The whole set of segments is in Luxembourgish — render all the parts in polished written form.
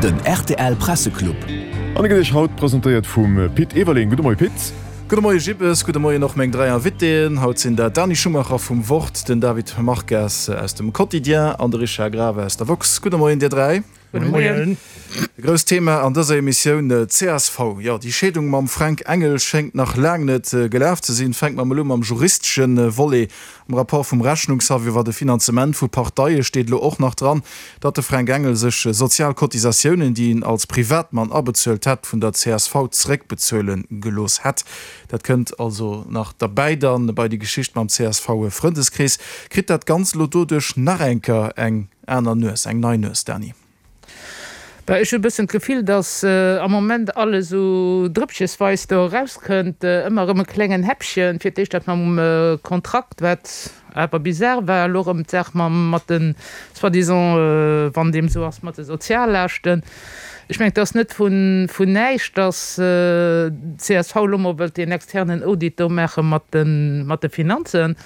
Den rtl Presseclub. An e gëtt Iech haut presentéiert vum Pit Everling. Gudde Moie Pit. Gudde Moie Jibbes, gudde Moien och meng 3 Invitéen. Haut sinn dat d'Dani Schumacher vum Wort, den David Marques aus dem Quotidien an de Richard Grave aus der Woxx. Gudde Moien dir 3. Gudde Moien. E grousst Thema an dëser Emissioun, csv. Jo, déi Scheedung mam Fränk Engel schéngt nach laang net gelaf ze sinn. Fänke mer mol u mam juristesche Volet. Am Rapport vum Rechnungshaff iwwer de Finanzement vu Parteie steet elo och nach dran, datt de Fränk Engel sech sozial Cotisatiounen, déi en als Privatmann abezuelt hätt, vun der csv zeréckbezuele gelooss hätt. Dat kënnt also nach derbäi dann bei déi Geschicht mam CSV-Frëndeskrees. Kritt dat Ganzt elo doduerch nach eng Kéier eng aner Nues, eng nei Nues, Dany? Bah, ech hu e bëssen d'Gefill, datt am Moment alles esou drëppchesweis do erauskënnt, ëmmer erëm e klengen Häppchen. Fir d'éischt dat mam Kontrakt, wat awer bizar war, elo erëm d'Saach mam, mat de soi-disant, wann deem esou ass, mat de Soziallaaschten. Ech mengen, et ass net vun, vun näischt, datt d'CSV elo mol wëllt deen externen Audit do maache mat de, mat de Finanzen,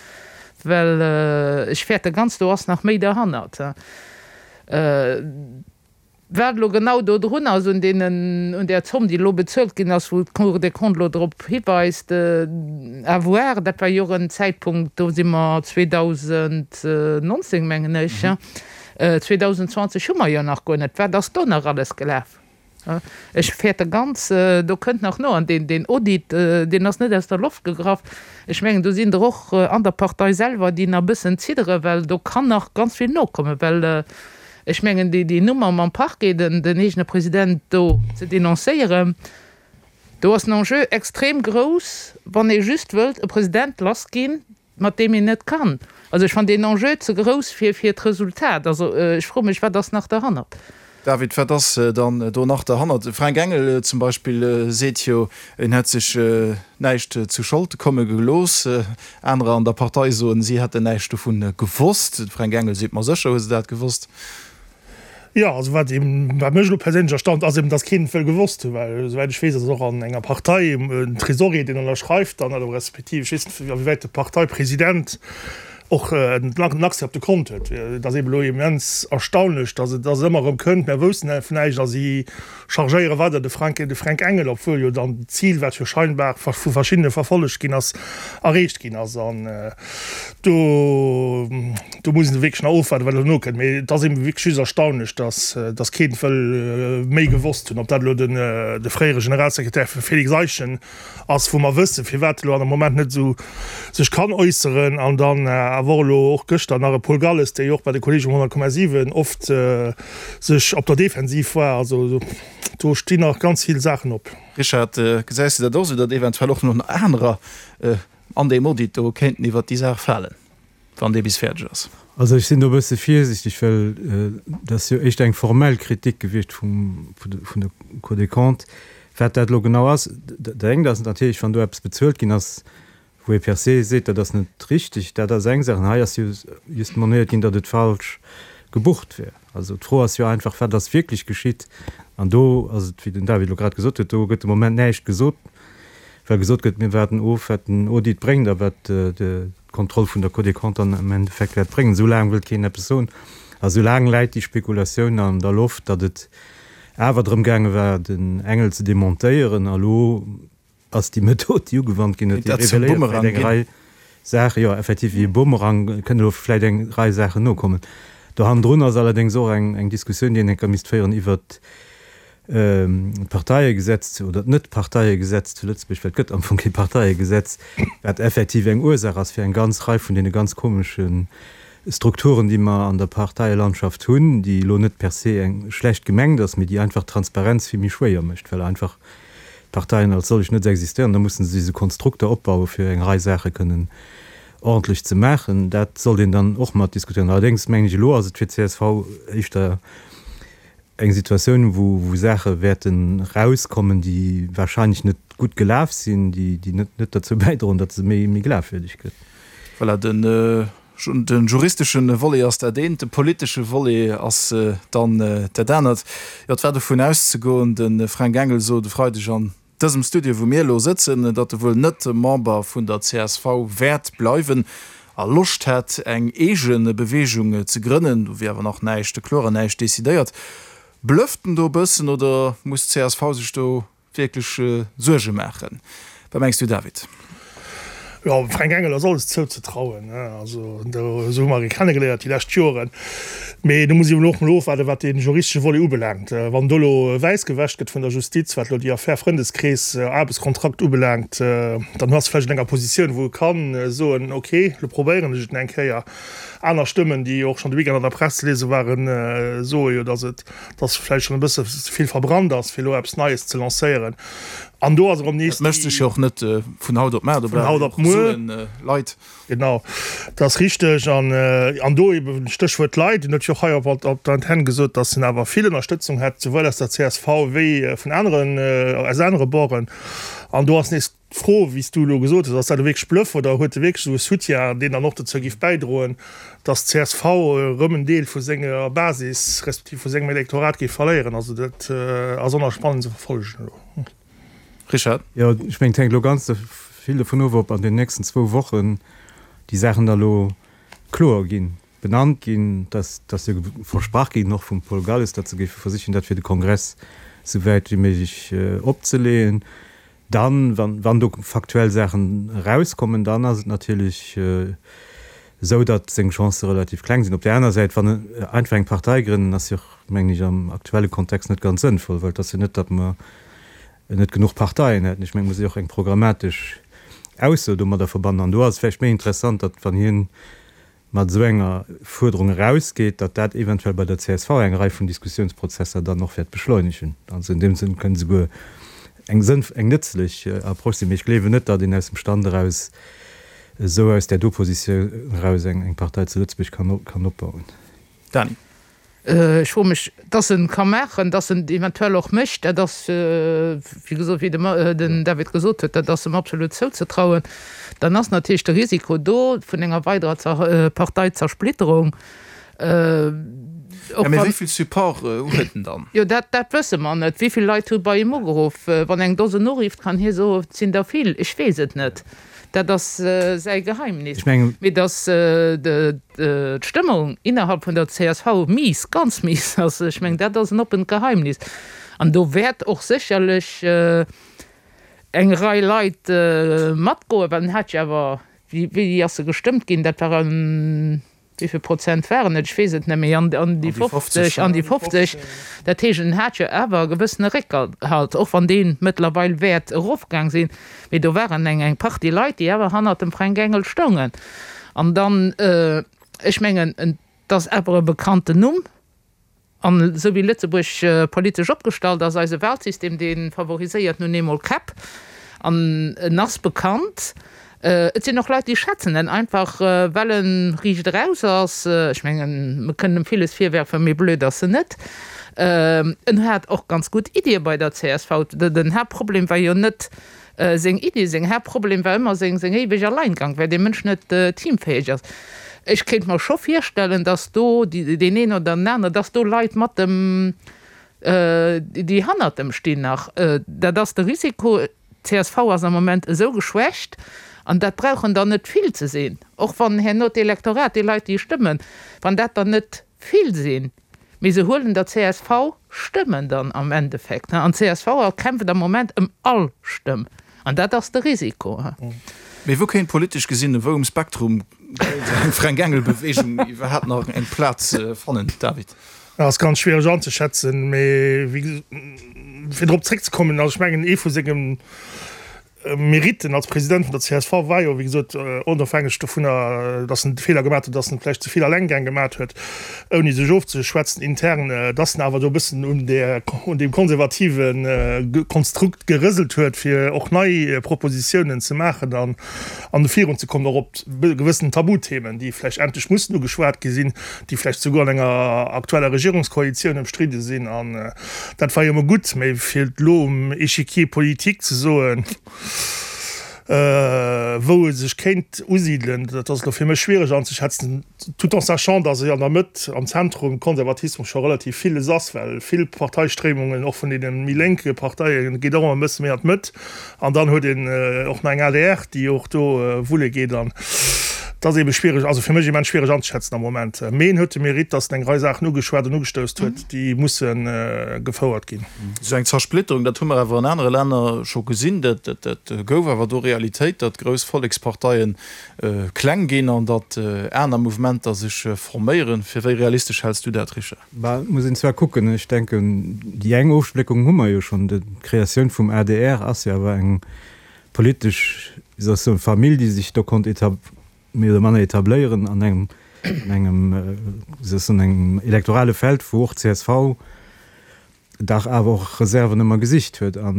well ech fäerte ganz, do ass nach méi derhannert. Wat elo genau do drun ass un deenen, un där Zomm, déi elo bezuelt ginn ass, wou d'Cour des Comptes elo drop hiweist, à voir. Dat war jo och en Zäitpunkt, do si mer 2019, mengen ech, 2020 hu mer jo nach guer net. Wat ass do nach alles gelaf? Ech fäerte ganz, do kënnt nach no. An deen Audit, deen ass net aus der Loft gegraff. Ech mengen, do sinn der och an der Partei selwer, déi nach e bëssen zidderen, well do kann nach ganz vill nokommen. Well ech mengen, déi Nummer mam Parquet, den eegene President do ze denoncéieren, do ass den Enjeu extrem grouss, wann ee just wëllt e President lassginn, mat deem een net kann. Also ech fannen deen Enjeu ze grouss fir fir d'Resultat. Also ech froe mech, wat ass nach derhannert? David, wat ass dann do nach derhannert? De Fränk Engel zum Beispill seet jo, en hätt sech näischt zu Schold komme gelooss. Anerer an der Partei soen, si hätten näischt dovun gewosst. De Fränk Engel seet, ma sécher hu se dat gewosst. Jo, also wat eben, wat mech elo perséinlech erstaunt, ass eben, dass keen et wëll gewosst hunn, well esouwäit ech weess ass et och an enger Partei en Tresorier, deen ënnerschreift dann, oder respektiv ech weess net, awéiwäit de Parteipresident och en Accès op de Kont huet. Et ass eben elo immens erstaunlech, dass et dass et ëmmer erëm kënnt, mär woussten vun näischt a si chargéiere weider de Frank, de Fränk Engel, obwuel jo dann d'Zil, wat jo scheinbar vu verschiddene verfollegt ginn ass, erreecht ginn ass. An do. Do muss een wierklech nach ofwaarden, wat elo nokënnt. Mee et ass eben wierklech just erstaunlech, dass, dass keen wëll méi gewosst hunn. Ob dat elo den, de fréiere Generalsekretär Félix Eischen ass, wou mer wëssen, firwat e lo an am Moment net esou sech kann äusseren. An dann awer och elo och gëschter nach e Paul Galles, dee jo och bei de Kollegen um 100,7 oft sech op der Defensiv war. Also do stinn nach ganz vill Saachen op. Richard, gesäis de dat och esou, datt eventuell och nach anerer an deem Audit do kéinten iwwert déi Saach falen? Wann dee bis fäerdeg ass. Also ech sinn do e bësse virsiichteg, well dat ass jo éischter eng formell Kritik gewiescht vum, vun der Cour des Comptes. Wat dat elo genau ass, dat engt ass natierlech, wann do eppes bezuelt ginn ass, wou ee per se seet, dat ass net richtig, dat ass eng Saach. An hei ass jo just monéiert ginn, datt et falsch gebucht wär. Also d'Fro ass jo einfach, Wat ass wierklech geschitt? An do ass et, wéi den David elo grad gesot huet, do gëtt de Moment näischt gesot, well gesot gëtt, mir waarden of, wat den Audit bréngt a wat d'Kontroll vun der Cour des Comptes dann am Endeffekt wäert bréngen. Esou laang wëllt keen eppes soen a esou laang läit déi Spekulatioun an der Loft, datt et awer drëm gaange war, den Engel ze demontéieren. A lo ass déi Method, déi ugewannt ginn huet, déi reveléiert vläicht eng Rei Saachen, jo, effektiv wéi e Bumerang kënnen elo vläicht eng Rei Saachen nokommen. Do hannendrun ass allerdéngs och eng Diskussioun, déi een enker misst féieren iwwert d'Parteiegesetz oder d'Net-Parteiegesetz zu Lëtzebuerg, well et gëtt am Fong kee Parteiegesetz, wat effektiv eng Ursaach ass fir eng ganz Rei vun deene ganz komesche Strukturen, déi mer an der Parteielandschaft hunn, déi elo net per se eng schlecht gemengt ass, mee déi einfach d'Transparenz vill méi schwéier mécht, well einfach d'Parteien als solch net existéieren. Da musse se esou Konstrukter opbauen, fir eng Rei Saache kënnen ordentlech ze maachen. Dat sollt een dann och mat diskutéieren. Allerdéngs mengen ech, elo ass et fir d'CSV éischter eng Situatioun, wou Saache wäerten erauskommen, déi wahrscheinlech net gutt gelaf sinn, déi net derzou bäidroen, datt se méi glafwierdeg gëtt. Voilà, de juristesche Volet ass dat eent, de politesche Volet ass dann dat anert. Jo, et war dovun auszegoen, de Fränk Engel sot e Freideg an dësem Studio, wou mir elo sëtzen, datt e wuel net Member vun der csv wäert bleiwen a Loscht hätt, eng eege Beweegung ze grënnen. Do wier awer nach näischt kloer an näischt decidéiert. Blufft en do e bëssen oder muss d'CSV sech do wierklech Suerge maachen? Wat mengs du David? Jo, dem Fränk Engel ass alles zouzetrauen. Also esou hu mer e kennegeléiert déi lescht Joren. Mee do muss ee elo och mol ofwaarden, wat dee juristesche Volet ubelaangt. Wann do elo wäiss gewäscht gëtt vun der Justiz, wat elo déi Affär Frëndeskrees, Aarbechtskontrakt ubelaangt, dann ass e vläicht an enger Positioun, wou e ka soen, ok, elo probéieren ech et eng Kéier. Aner Stëmmen, déi och schonn de Weekend an der Press ze liese waren, soe jo, datt et datt vläicht schonn e bësse ze vill verbrannt ass, fir elo eppes Neies ze lancéieren. An do ass erëm nees déi. Dat mécht sech jo och net vun haut op mar, do brauch een och Suen, Leit. Genau, dat ass richteg. An, an do eben Stéchwuert Leit, en huet jo och hei op op der Antenn gesot, datt en awer vill Ënnerstëtzung hätt, souwuel aus der csv wéi vun aneren, aus anere Borden. An do ass nees D'Fro, wéi s du elo gesot hues, ass dat elo wierklech Bluff oder huet e wierklech esou e Soutien, deen dann och dozou géif bäidroen, datt d'CSV erëm en Deel vu senger Basis respektiv vu sengem Elektorat géif verléieren? Also dat ass och nach spannend ze verfollegen elo. Richard? Jo, ech mengen, et hänkt elo ganz vill dovun of, ob an den nächsten zwou Wochen déi Saachen da elo kloer ginn, benannt ginn. Et ass jo versprach ginn, och vum Paul Galles, datt se géife versichen, dat fir de Kongress esou wäit wéi méiglech opzeleeën. Dann, wann do faktuell Saachen erauskommen, dann ass et natierlech esou, datt seng Chancë relativ kleng sinn. Op där aner Säit, wann einfach eng Partei grënnen, ass jo och, mengen ech, am aktuelle Kontext net ganz sënnvoll, well et ass jo net, datt mer net genuch Parteien hätten. Ech mengen, et muss ee och eng programmatesch Ausso domadder verbannen. An do ass et vläicht méi interessant, datt wann hien mat esou enger Fuerderung erausgeet, datt dat eventuell bei der csv eng Rei vun Diskussionsprozesser dann och wäert beschleunegen. Also in deem Sënn kënnt esouguer eng sënnv-, eng nëtzlech Approche sinn. Mee ech gleewen net, datt een aus dem Stand eraus esou aus där do Positioun eraus eng Partei zu Lëtzebuerg kann, kann opbauen. Dany. Ech froe mech, dass en ka maachen, dass en et eventuell och mécht, dat ass, wéi gesot, wéi den David gesot huet, dat ass em absolut zouzetrauen. Dann ass natierlech de Risiko do vun enger weiderer Parteizersplit-terung. Jo, mee wéi vill Support huet en dann? Jo, dat, dat wësse mer net. Wéi vill Leit hu bei him ugeruff? Wann eng Dosen urifft, kann hie soen, et sinn der vill. Ech weess et net. Dat ass säi Geheimnis. Mee datt d'Stëmmung innerhalb vun der csv mies, ganz mies ass, ech mengen, dat ass en oppent Geheimnis. An do wäert och sécherlech eng Rei Leit matgoen, well en hat jo awer, wéi ass se gestëmmt ginn, dat war en Wéi vill Prozent waren et? Ech weess et net méi. An déi 50, an déi 50. Dat heescht, en hat jo awer e gewëssene Réckhalt, och wann dee mëttlerweil wäert erofgaang sinn. Mee do waren eng eng Partie Leit, déi awer hannert dem Fränk Engel stoungen. An dann, ech mengen, et ass awer e bekannten Numm. An esou wéi Lëtzebuerg politesch opgestallt ass, eise Wahlsystem, dee favoriséiert nun eemol Käpp, an en ass bekannt. Et sinn och Leit, déi schätzen en einfach, well e riicht eraus ass. Ech mengen, mer kënnen em villes virwerfen, mee blöd ass en net. En hat och ganz gutt Iddie bei der csv. Den Haaptproblem war jo net Seng Iddi, seng Haaptproblem war ëmmer seng seng éiweg Alleingang, well dee Mënsch net teamfäeg ass. Ech kéint mer scho virstellen, datt do deen een oder den aner, datt do Leit mat dem, déi hannert em stinn nach. Dat ass de Risiko. Csv ass am Moment esou geschwächt, an dat brauchen der net vill ze sinn, och wann herno d'Elektorat, déi Leit déi stëmmen, wann dat der net vill sinn, Mee se huelen der csv Stëmmen dann am Endeffekt. An csv kämpft am Moment ëm all Stëmm. An dat ass de Risiko. Mee wou kéint politesch gesinn, wou um Spektrum kéint eng Fränk-Engel-Beweegung iwwerhaapt nach eng Plaz fannen, David? Dat ass ganz schwiereg anzeschätzen. Mee wéi, fir drop zréckzekommen, also ech mengen, ee vu sengem Meritten als President vun der csv war jo, wéi gesot, onofhängeg dovunner, datt en de Feeler gemaat huet, datt en vläicht ze vill Allengäng gemaat huet, ouni sech ofzeschwätzen intern, datt en awer do e bëssen un där, un deem konservative Konstrukt gerëselt huet, fir och nei Propositiounen ze maachen an an virunzekommen, och op gewëssen Tabuthemen, déi vläicht endlech mussen ugeschwat gi sinn, déi vläicht souguer an enger aktueller Regierungskoalitioun ëmstridde sinn. An dat war jo emol gutt, mä fir elo um Échiquier politique ze soen, wou e sech kéint usidelen, dat ass elo fir mech schwiereg anzeschätzen, tout en sachant, dass e an der Mëtt, am Zentrum, Konservatismus scho relativ villes ass, well vill Parteistréimungen, och vun deene méi lénke Parteien, geet och ëmmer e bësse méi an d'Mëtt. An dann huet een och nach eng adr, déi och do wulle geet. An. Et ass eebe schwiereg, also fir mech immens schwiereg anzeschätzen am Moment. Mee en huet de Mérite, datt en eng Rei Saachen ugeschwat an ugestouss huet, déi musse gefouert ginn. Esou eng Zersplitterung, dat hu mer awer an anere Länner scho gesinn, dat gouf awer do Realitéit, datt grouss Volleksparteie kleng ginn an datt aner Mouvementer sech forméieren. Fir wéi realistesch häls du dat, Richard? Bah, et muss een zwar kucken. Ech denken, déi eng Ofspléckung hu mer jo schonn. D'Kreatioun vum adr ass jo awer eng politesch, wéi soll ech soen, Famill, déi sech do konnt méi oder manner etabléieren an engem, an engem, wéi soll ech soen, engem elektorale Feld, wou och csv dach awer och Reserven ëmmer gesicht huet. A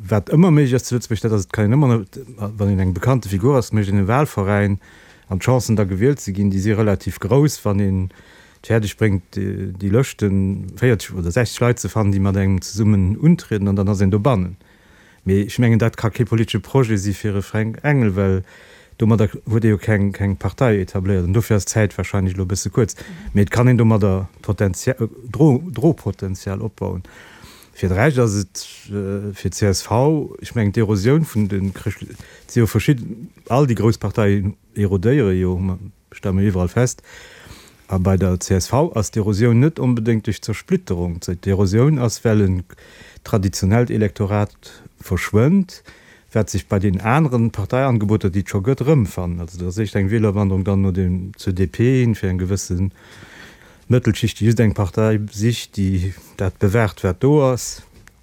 wat ëmmer méiglech ass zu Lëtzebuerg, dat ass, et kann een ëmmer, wann een eng bekannte Figur ass, mécht een e Wahlveräin an d'Chancen da gewielt ze ginn, déi si relativ grouss, wann een et fäerdeg bréngt, déi Lëschten, 40 oder 60 Leit ze fannen, déi mat engem zesummen untrieden an dann ass een dobannen. Mee ech mengen, dat ka kee politesche Projet si fir e Fränk Engel, well domadder huet ee jo keng, keng Partei etabléiert. An dofir ass d'Zäit wahrscheinlech elo e bësse kuerz. Mee et kann een domadder Potentia-, Dro-, Dropotenzial opbauen. Fir de Rescht ass et fir d'CSV, ech mengen, d'Erosioun vun de Chrëscht-, et si jo verschidden, all déi grouss Parteien erodéiere jo, Stelle mer iwwerall fest. A bei der csv ass d'Erosioun net onbedéngt duerch Zersplitterung. D'Erosioun ass, well en traditionellt Elektorat verschwënnt, wat sech bei den aneren Parteiangeboter, déi et scho gëtt, erëmfannen. Also dat ass éischt eng Wielerwanderung dann no dem, zur DP hin, fir eng gewësse Mëttelschicht, déi just eng Partei sicht, déi dat bewahrt, wat do ass,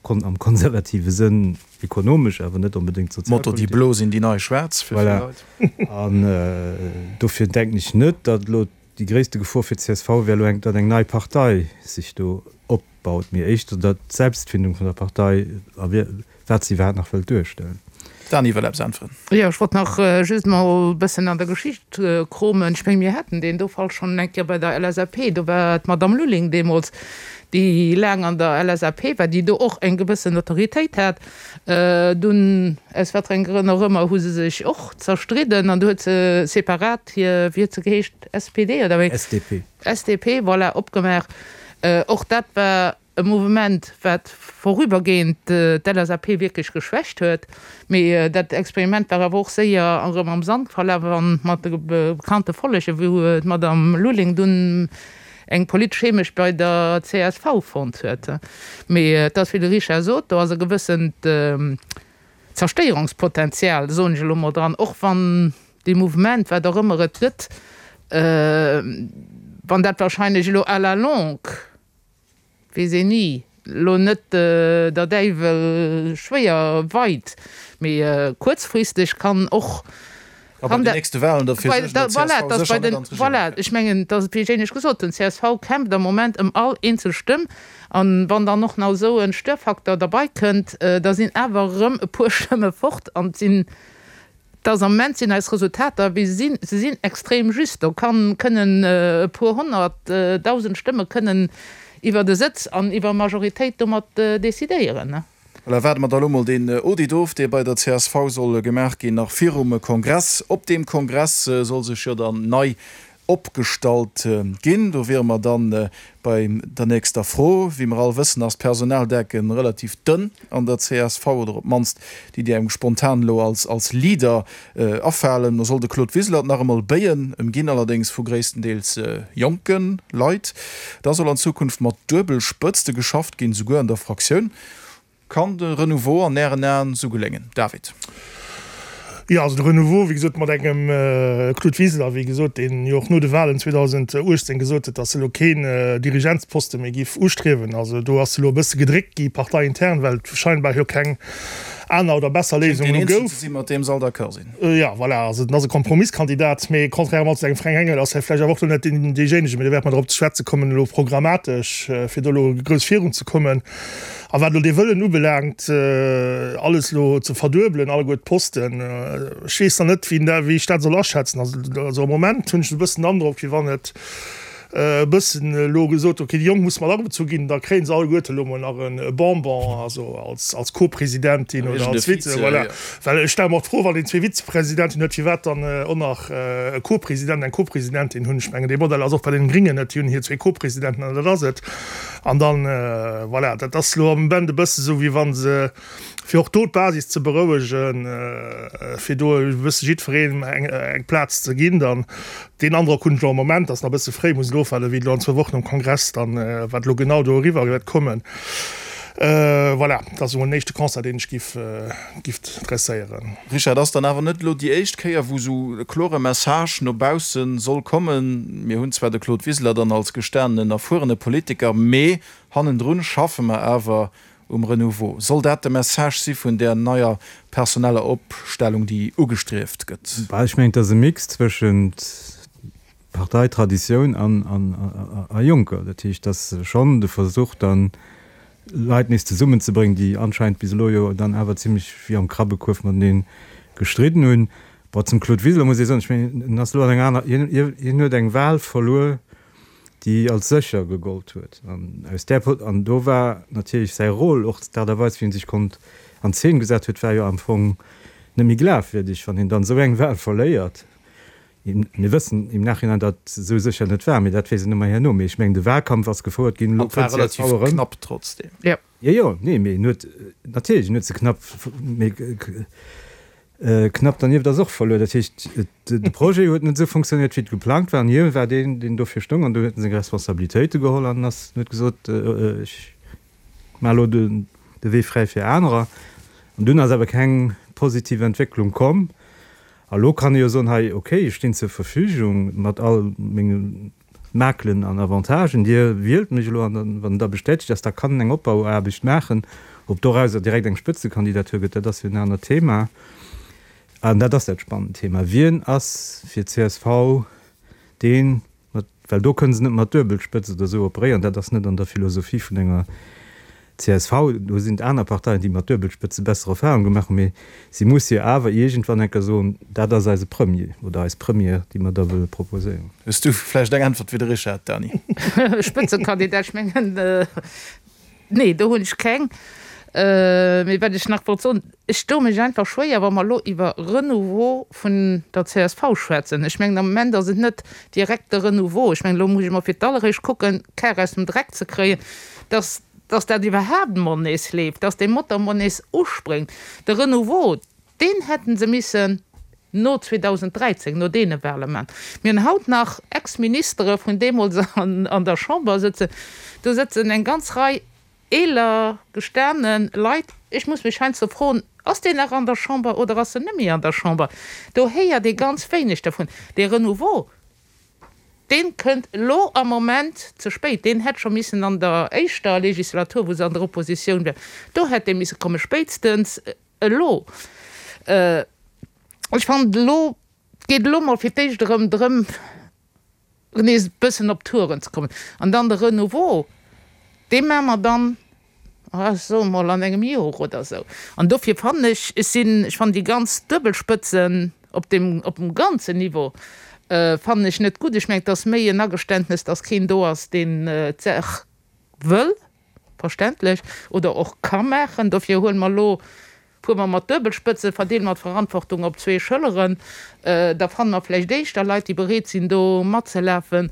am konservative Sënn. Ekonomesch, awer net onbedéngt Motto, déi sozialpolitesch. Blo sinn déi nei Schwaarz fir vill Voilà. Leit. An dofir denken ech net, datt elo déi gréisste Gefor fir d'CSV wär elo eng, datt eng nei Partei sech do opbaut, mee éischter datt d'Selbstfindung vun der Partei a wat se iwwerhaapt nach wëllt duerstellen. Dany wëll eppes äntweren. Jo, ech wollt nach just mol e bëssen an der Geschicht kromen. Ech mengen, mir haten deen do Fall schonn eng Kéier bei der LSAP. Do war d'Madame Lulling deemools, déi laang an der LSAP war, déi do och eng gewëssen Autoritéit hat. Dunn, aus wat fir enge Grënn och ëmmer, hu se sech och zerstridden an du huet se separat hir, wéi huet se geheescht, SPD oder wéi? SDP. SDP, voilà, opgemaach. Och dat war E Mouvement, wat vorübergehend d'LSAP wierklech geschwächt huet. Mee dat Experiment war awer och séier erëm am Sand verlaf a mat de bekannte Follegen, wou d'Madame Lulling dunn eng politesch Heemecht bei der csv fonnt huet. Mee et ass, wéi de Richard sot, do ass e gewëssent Zerstéierungspotenzial, soen ech elo mol dran, och wann dee Mouvement, wat och ëmmer et gëtt, wann dat wahrscheinlech elo à la longue, Weess een ni. Lo net der Däiwel schwéier weit, mee kuerzfristeg kann och. Ka bei den nächste Wahlen derfir suergen, datt csv sécher net an d'Regierung Voilà, ech mengen, et ass wéi ech éinescht gesot hunn, csv kämpft am Moment ëm all eenzel Stëmm. An wann dann och nach esou e Störfaktor derbei kënnt, da sinn awer erëm e puer Stëmme fort an et sinn Dass am Moment sinn eis Resultater wéi se sinn, se sinn extrem just. Do kann, kënnen e puer honnertdausend Stëmme kënnen iwwert e Sëtz an iwwer Majoritéit domat decidéieren. Voilà, waarde mer da lo mol deen Audit of, dee bei der csv soll gemaach ginn, nach virum Kongress. Op deem Kongress soll sech jo dann nei opgestallt ginn. Do wiere mer dann bei der nächster Fro. Wéi mer all wëssen, ass d'Personaldecken relativ dënn an der csv, oder op d'mannst déi, déi engem spontan elo als Leader afalen. Do soll de Claude Wiseler et nach emol béien, ëmginn allerdéngs vu gréisstendeels jonke Leit. Da soll an Zukunft mat Duebelspëtzte geschafft ginn, souguer an der Fraktioun. Kann de Renouveau an Ären Aen sou geléngen, David? Jo, also de Renouveau, wéi gesot, mat engem Claude Wiseler, wéi gesot, deen jo och no de Wahlen 2018 gesot huet, datt e lo keen Dirigentsposte méi giff ustriewen. Also do ass e lo e bësse gedréckt gi parteiintern, well et scheinbar jo keng aner oder besser Léisung elo Schéngt deen gouf. Eenzegen ze sinn, mat deem se all d'accord sinn. Jo, voilà, also en ass e Kompromisskandidat, mee contrairement zu engem Fränk Engel ass hie vläicht awer och lo net deen deejéinegen, mee do wäerte mer drop ze schwätze kommen elo programmatesch, fir do elo grouss virunzekommen. A wat elo dee Wëllen ubelaangt, alles elo ze verduebelen, alleguer d'Posten, ech weess nach net, wéi ech dat soll aschätzen. Also am Moment hunn ech e bëssen den Androck, wéi wann et. e bëssen elo gesot, ok, déi Jonk musse mat agebezu ginn, da kréie se alleguerte elo mol nach e Bonbon, also als, als Co-Presidentin oder als Vize, voilà. Well ech stelle mer och d'Fro, wann een zwee Vizepresidenten huet, firwat dann och nach e Co-President, eng Co-Presidentin hunn. Ech mengen, dee Modell ass och bei den Gringen net, déi hunn hir zwee Co-Presidenten an dat ass et. An dann, voilà, dat ass elo am Moment e bësse sou, wéi wa se, fir och do d'Basis ze berouegen, fir do e bësse jiddwereen eng Plaz ze ginn dann. Deen Androck hunn ech elo am Moment, ass nach e bësse fréi, muss elo ofwaarden, wéi et elo an zwou Wochen um Kongress dann, wat elo genau do eriwwer wäert kommen. Voilà, dat ass emol den éischte Constat, deen ech giff, giff dresséieren. Richard, ass dann awer net elo déi éischt Kéier, wou esou e klore Message no bausse soll kommen? Mir hunn zwar de Claude Wiseler dann als gestanenen, erfuerene Politiker, mee hannendrun schaffe mer awer um Renouveau. Soll dat de Message si vun där neier personeller Opstellung, déi ugestrieft gëtt? Bah, ech mengen, et ass e Mix zwëschent Parteitraditioun a Jonker. Dat heescht, et ass schonn de Versuch dann, Leit nees zesummenzebréngen, déi anscheinend bis elo jo dann awer zimlech wéi am Krabbekuerf matenee gestridden hunn. Bon, zum Claude Wiseler muss ee soen, ech mengen, en ass elo an enger aner, hien huet eng Wahl verluer, déi als sécher gegollt huet. An aus där Po, an do war natierlech säi Rôle, och d'Aart a Weis wéi en sech konnt an Zeen gesat huet, war jo am Fong net méi glafwierdeg, wann een dann esou eng Wahl verléiert. Mir wëssen im Nachhinein, datt et esou sécher net war, mee dat weess een ëmmer herno. Mee ech mengen, de Wahlkampf ass gefouert ginn, elo An et war kënnt relativ csv erëm. knapp trotzdem. Jo. Jo, jo, nee, mee en huet, natierlech, en huet se knapp, mee knapp dernieft ass och verluer. Dat heescht, de Projet huet net esou fonctionnéiert, wéi et geplangt war, an hie war deen, deen dofir stoung, an do huet en seng Responsabilitéite geholl an ass, huet gesot, ech maache elo de Wee fräi fir anerer. An dunn ass awer keng positiv Entwécklung komm. A lo kann ee jo soen, hei, okay, ech stinn zur Verfügung mat all menge Makelen an Avantagen, Dir wielt mech elo an dann, wann en da bestätegt ass, da kann en eng Opbauaarbecht maachen. Ob dorauser direkt eng Spëtzekandidatur gëtt, dat ass jo en anert Thema. An dat ass dat spannend Thema, Wien ass fir csv deen, mat, well do kënne se net mat Duebelspëtz oder esou operéieren, dat ass net an der Philosophie vun enger csv, do sinn et aner Parteien, déi mat Duebelspëtze besser Erfahrung gemaach hunn, mee si muss jo awer iergendwann eng Kéier soen, dat ass eise Premier oder eis Première, déi mer da wëlle proposéieren. Hues du vläicht eng Äntwert fir de Richard, Dany? Spëtzekandidat, ech mengen, nee, do hunn ech keng. Mee wat ech nach wollt soen, ech doe mech einfach schwéier, wa mer elo iwwer Renouveau vun der csv schwätzen. Ech mengen, am Moment ass et net direkt de Renouveau. Ech mengen, elo muss ech emol fir d'alleréischt kucken, d'Kar aus dem Dreck ze kréien, dass, dass dat iwwerhaapt emol nees leeft, dass dee Motor emol nees uspréngt. De Renouveau, deen hätte se missen no 2013, no deene Wahle maachen. Mir hunn haut nach Ex-Ministere vun deemools an der Chamber sëtzen. Do sëtzen eng ganz Rei eeler, gestane Leit. Ech muss mech heiansdo froen, Ass deen nach an der Chamber oder ass en net méi an der Chamber? Do héiert ee ganz wéineg dervun. Dee Renouveau, Deen kënnt elo am Moment ze spéit. Deen hätt scho missen an der éischter Legislatur, wou se an der Oppositioun war, do hätt dee misse kommen, spéitstens elo. Ech fannen elo, et geet elo mol fir d'éischt erëm drëm, nees e bëssen op d'Touren ze kommen. An dann de Renouveau, dee maache mer dann ech soe mol an engem Jor oder esou. An dofir fannen ech, ech sinn, ech fannen déi ganz Duebelspëtzen op deem, op dem ganzen Niveau fannen ech net gutt. Ech mengen, et ass méi en Ageständnes, datt keen do ass, deen d'Saach wëll, verständlech, oder och ka maachen. Dofir huele mer elo, fuere mer mat Duebelspëtzen, verdeele mer d'Verantwortung op zwee Schëlleren, da fanne mer vläicht éischter Leit, déi bereet sinn, do matzelafen.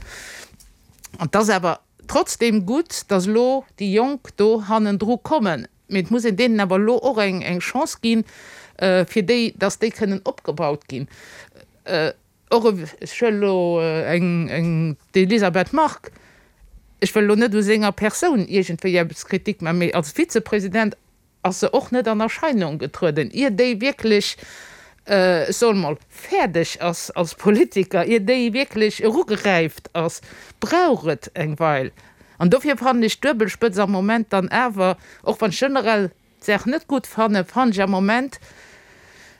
An et ass awer Trotzdem gutt, datt elo déi Jonk do hannendru kommen. Mee et muss een deenen awer elo och eng Chance ginn, fir déi, datt déi kënnen opgebaut ginn. Och, ech huelen elo eng, d'Elisabeth Margue, ech wëll elo net u senger Persoun iergendwéi eppes Kritik maachen, mee als Vizepresident ass se och net an Erscheinung getrueden, ier déi wierklech, ech soen emol, fäerdeg ass als Politiker, ier déi wierklech erugeräift ass, brauch et eng Weil. An dofir fannen ech d'Duebelspëtz am Moment dann awer, och wann ech generell d'Saach net gutt fannen, fannen ech am Moment.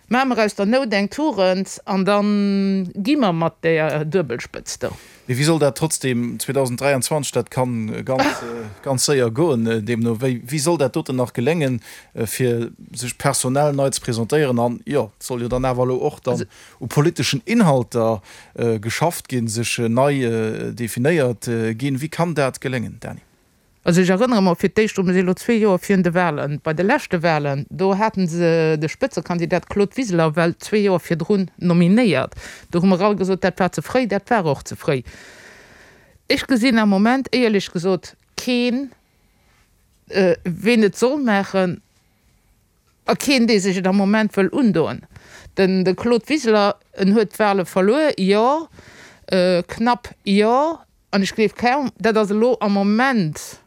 Maache mer aus der Nout eng Tugend an da gi mer mat där Duebelspëtzt do. Mee wéi soll dat trotzdem 2023, dat kann ganz, ganz séier goen, deemno wéi, wéi soll dat doten nach geléngen, fir sech personell nei ze presentéieren? An jo, et soll jo dann awer elo och dann u politeschen Inhalter geschafft ginn, sech nei definéiert ginn. Wéi kann dat geléngen, Dany? Also ech erënnere mer fir d'éischt drun, mir si elo zwee Joer virun de Wahlen, bei de leschte Wahlen, do hate se de Spëtzekandidat Claude Wiseler well zwee Joer virdrun nominéiert. Do hu mer all gesot, dat war ze fréi. Dat war och ze fréi. Ech gesinn am Moment éierlech gesot keen, ween et soll maachen a keen, dee sech et am Moment wëll undoen. Den de Claude Wiseler, en huet d'Wahle verluer, jo, knapp, jo. An ech gleef kaum, dat ass elo am Moment,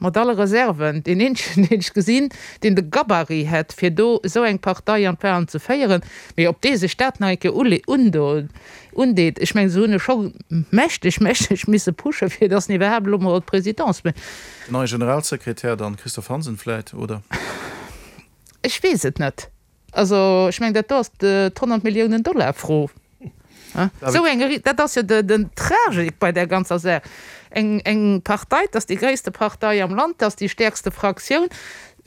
mat alle Reserven, deen eenzegen, deen ech gesinn, deen de Gabarit hätt, fir do esou eng Partei an d'Wahlen ze féieren. Mee ob dee sech dat nach eng Kéier undeet, ech mengen, se hunn e scho mächteg, mächteg misse pushen, fir datt en iwwerhaapt elo mol d'Presidence. Den neie Generalsekretär dann, Christophe Hansen vläit, oder? Ech weess et net. Also, ech mengen, dat do ass d'100 Milliounen Dollar Fro. Esou eng, dat ass jo den Tragik bei där ganzer Saach. Eng, eng Partei, dat ass déi gréisste Partei am Land, dat ass déi stäerkste Fraktioun,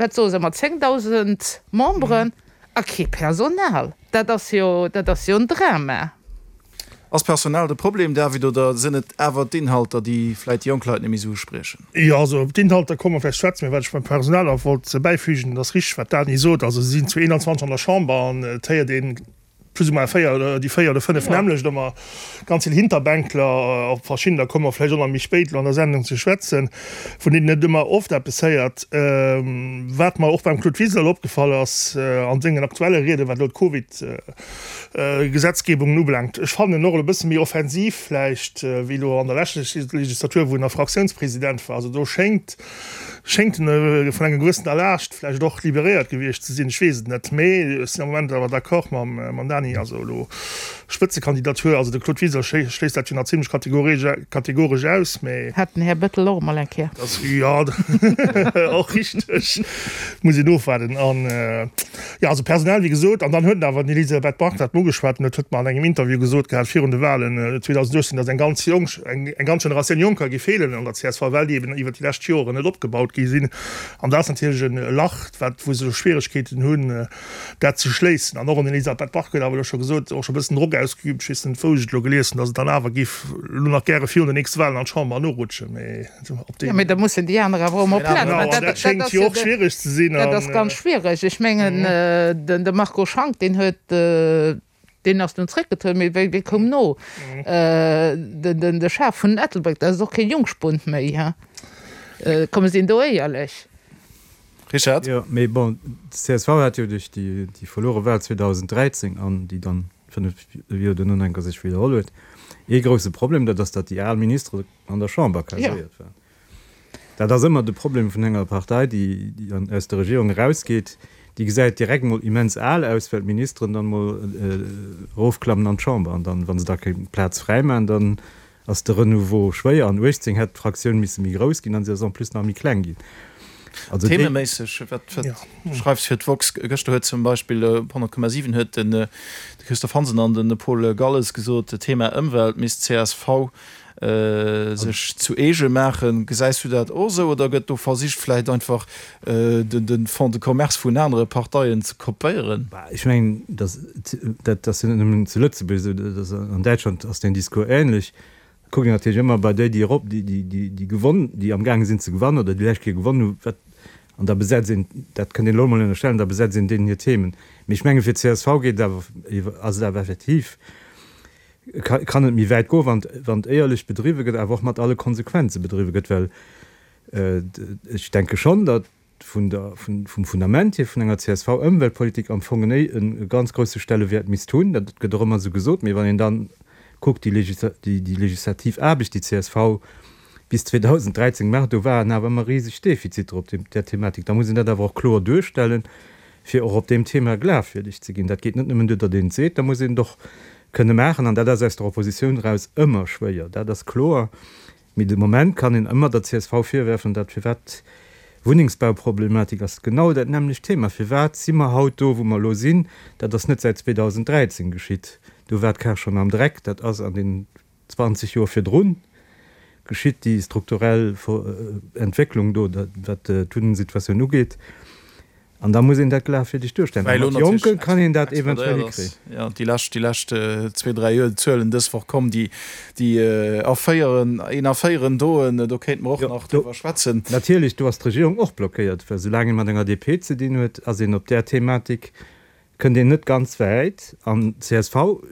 wat soe se, mat 10.000 Memberen a kee Personal. Dat ass jo, dat ass jo en Drama. Ass Personal de Problem, David, oder sinn et awer d'Inhalter, déi vläit déi jonk Leit net méi esou uspriechen? Jo, also op d'Inhalter komme mer vläicht schwätzen, mä wat ech beim Personal nach wollt bäifügen, et ass richteg, wat d'Dany sot, also si sinn zu 21 an der Chamber an et héiert ee plus ou moins véier oder déi véier oder fënnef nämmlecht ëmmer, ganz vill Hinterbänkler, op verschiddener komme mer vläicht och nach méi spéit elo an der Sendung ze schwätzen, vun deenen et ëmmer oft eppes héiert. Wat mer och beim Claude Wiseler elo opgefall ass an sengen aktuelle Rieden, wat elo d'Covid Gesetzgebungen ubelaangt. Ech fannen en och elo e bësse méi offensiv vläicht wéi elo an der leschter Legislatur, wou en nach Fraktiounspresident war. Also do schéngt schéngt en vun enger gewëssener Laascht vläicht och liberéiert gewiescht ze sinn. Ech weess et net, mee ech sinn am Moment awer d'accord mam mam Dany. Also elo Spëtzekandidatur, also de Claude Wiseler schléisst dat jo nach zimlech kategoresch aus, mee. Hat den Här Bettel och emol eng Kéier. Jo, och richteg. Muss een ofwaarden. An jo, also personell, wéi gesot. An dann huet en awer, den Elisabeth Margue dat ugeschwat, an dat huet mer an engem Interview gesot gehat virun de Wahlen 2018, datt eng ganz jonk, eng ganz Generatioun Jonker géif feelen an der csv, well déi eben iwwert déi lescht Joren net opgebaut gi sinn. An dat ass natierlech e Lach, wat, wou se elo Schwieregkeeten hunn, dat ze schléissen. An och an Elisabeth Margue huet awer elo scho gesot, och scho e bëssen Drock ausgeübt, ech weess net, wou ech et elo gelies hunn, datt et dann awer géif elo nach gäre virun den nächste Wahlen an d'Chamber norutschen. Mee op deen. Jo, mee da mussen déi aner awer och emol Plaz maachen. Genau, an dat schéngt jo och schwiereg ze sinn. Dat ass ganz schwiereg. Ech mengen, de Marco Schank, deen huet, deen ass dunn zréckgetrueden, mee wie koum no? De Schaf vun Ettelbréck, dat ass och kee Jungspund méi, he? Komm, mir sinn do éierlech. Richard? Jo, mee bon, d'CSV hat jo duerch déi verluere Wahl 2013 an déi dann 5 Joer duerno nach eng Kéier sech widderholl huet, ee grousse Problem, dat ass, datt déi al Ministere an der Chamber kaséiert waren. Dat ass ëmmer de Problem vun enger Partei, déi aus der Regierung erausgeet, déi gesäit direkt mol immens al aus, well d'Ministeren dann mol erofklammen an d'Chamber an dann, wa se da keng Plaz fräi maachen, dann ass de Renouveau schwéier. An 18 hätt d'Fraktioun misse méi grouss ginn an si ass en plus nach méi kleng ginn. Also déi. Thememéisseg, wat schreifs fir d'woxx? Gëschter huet zum Beispill op 100,7 huet de Christophe Hansen an de Paul Galles gesot, Thema Ëmwelt misst csv sech zu eege maachen. Gesäis du dat och esou oder gëtt do versicht vläicht einfach de Fonds de commerce vun anere Parteien ze kopéieren? Ech mengen, dat ass jo net nëmmen zu Lëtzebuerg esou, dat ass an Däitschland ass deen Discours änlech. Da kuckt een natierlech ëmmer bei déi, déi erop, déi gewonn, déi amgaange sinn ze gewannen oder déi lescht Kéier gewonnen hunn, wat, an da besetzt een, dat kënnt een elo emol ënnerstellen, da besetzt een deenen hir Themen. Mee ech mengen, fir d'CSV geet et awer, ass et awer effektiv, kann et méi wäit goen, wann wann et éierlech bedriwwe gëtt, awer och mat alle Konsequenze bedriwwe gëtt, well ech denke schonn, datt vun der, vun, vum Fundament hier vun enger CSV-Ëmweltpolitik am Fong en e ganz grouse Stellewäert misst hunn. Dat gëtt och ëmmer esou gesot, mee wann een dann kuckt, déi déi déi legislativ Aarbecht, déi csv bis 2013 gemaach huet, do waren awer ëmmer riseg Defiziter op deem, där Thematik. Da muss een dat awer och kloer duerstellen, fir och op deem Thema glafwierdeg ze ginn. Dat geet net nëmmen duer, datt een et seet, da muss een et och kënne maachen. An dat ass aus der Oppositioun eraus ëmmer schwéier, dat ass kloer. Mee de Moment kann een ëmmer der csv virwerfen, dat firwat. Wunnengsbauproblematik ass genau dat nämmlecht Thema. Firwat si mer haut do, wou mer elo sinn? Dat ass net säit 2013 geschitt. Do war d'Kar schonn am Dreck. Dat ass an den 20 Joer virdrun geschitt, déi strukturell Entwécklung do, wat d'Wunnengsituatioun ugeet. An da muss een dat glafwierdeg duerstellen. A mat Jonke kann een dat eventuell hikréien. Jo, déi lescht, déi lescht zwee, dräi Joer, d'Zuelen dës Woch komm, déi, déi erféieren, een erféieren doen, do kéinte mer och nach driwwer schwätzen. Natierlech, do ass d'Regierung och blockéiert, well soulaang ee mat enger DP ze dinn huet, ass een op där Thematik, kënnt een net ganz wäit. An csv,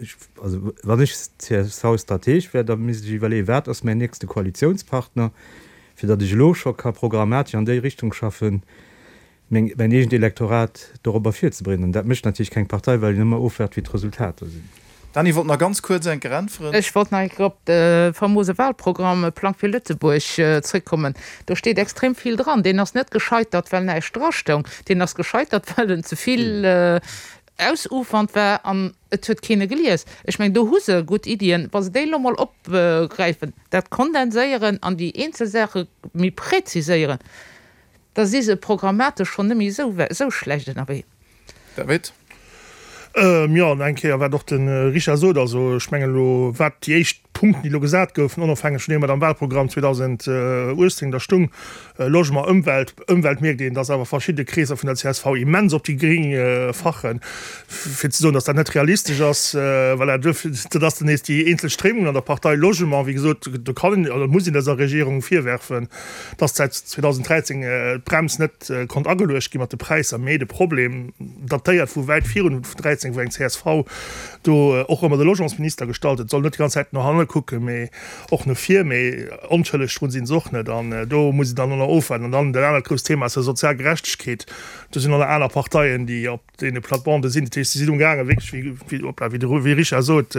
also wann ech CSV-Strateg wär, da misst ech iwwerleeën, wat ass mäin nächste Koalitiounspartner, fir datt ech elo scho ka programmatesch an déi Richtung schaffen, meng, mäin eegent Elektorat dorobber virzebereeden. An dat mécht natierlech keng Partei, well een ëmmer ofwaart, wéi d'Resultater sinn. Dany wollt nach ganz kuerz eng Kéier äntweren. Ech wollt nach eng Kéier op de famose Wahlprogramm Plang fir Lëtzebuerg zréckkommen. Do steet extrem vill dran. Deen ass net gescheitert, well näischt drastoung. Deen ass gescheitert, well en ze vill ausufernd war an et huet keen e gelies. Ech mengen, do hu se gutt Iddien. Wa se déi elo mol opgräifen, dat kondenséieren an déi eenzel Saache méi präziséieren, Da si se programmatesch schonn net méi esou schlecht ënnerwee. David. Jo, an eng Kéier, wat och de Richard sot, also ech mengen elo, wat déi éischt Punkten, déi elo gesat goufen, onofhängeg vun deem, wat am Wahlprogramm 2018 da stung, Logement, Ëmwelt, Ëmwelt mierkt een, dass awer verschidde Kreesser vun der csv immens op déi Gréng fachen, fir ze soen, dass dat net realistesch ass. Voilà, duerfir, dat ass dann nees déi eenzel Stréimungen an der Partei. Logement, wéi gesot, do kann een oder muss een dëser Regierung virwerfen, dass säit 2013 d'Brems net konnt ageluecht gi mat de Präisser, mee de Problem datéiert vu wäit virun 13, wou eng csv do och ëmmer de Logementsminister gestallt huet, soll net déi ganz Zäit no hanne kucken, mee och no vir, mee onschëlleg drun si se och net an do muss een dann och nach ofwaarden. An dann dat anert grousst Thema ass jo sozial Gerechtegkeet. Do sinn och nach aner Parteien, déi op deene Platebandeë sinn. Dat heescht, se sinn umgaangen, wierklech, wéi, wéi, hoppla, wéi de wéi Richard sot,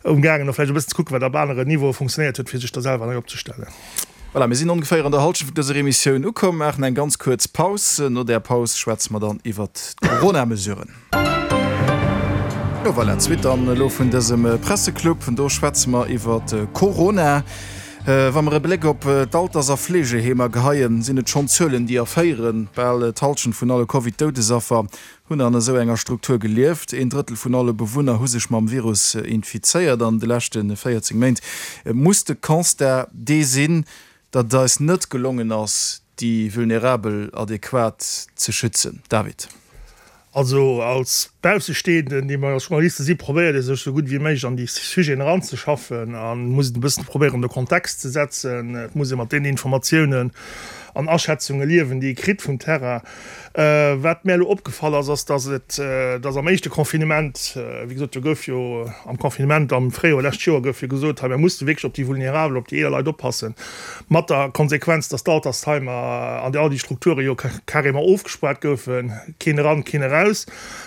umgaangen och vläicht e bëssen ze kucken, wat op aneren Niveaue funktionéiert huet, fir sech da selwer nei opzestellen. Voilà, mir sinn ongeféier an der Halschent vun dëser Emissioun ukomm, maachen eng ganz kuerz Paus. No där Paus schwätze mer dann iwwert d'Corona-Mesuren. Jo, voilà, d'Suite dann elo vun dësem Presseclub. Do schwätze mer iwwert Corona. Wa mer e Bléck op d'Alters a Fleegeheemer geheien, sinn et schonn Zuelen, déi erféieren. Bal d'Hallschent vun alle Covid-Doudesaffer hunn an esou enger Struktur gelieft. Een Drëttel vun alle Bewunner hu sech mam Virus infizéiert an de leschte 14 Méint. Et muss de Constat dee sinn, datt et eis net gelongen ass, déi Vulnerabel adequat ze schützen. David. Also als Baussestehenden, déi mer als Journaliste si, probéiert ee sech esou gutt wéi méiglech an déi Sujeten eranzeschaffen a muss et e bëssen probéieren an de Kontext ze setzen. Et muss ee mat deenen Informatiounen an Aschätzunge liewen, déi ee kritt vum Terrain. Wat mär elo opgefall ass, ass, datt et, datt am éischte Confinement, wéi gesot, do gouf jo am Confinement am Fréijoer lescht Joer gouf jo gesot, hei mir musse wierklech op déi Vulnerabel, op déi eeler Leit oppassen, mat der Konsequenz, datt d'Altersheimer an all déi Strukture jo carrément ofgespaart goufen. Keen eran, keen eraus.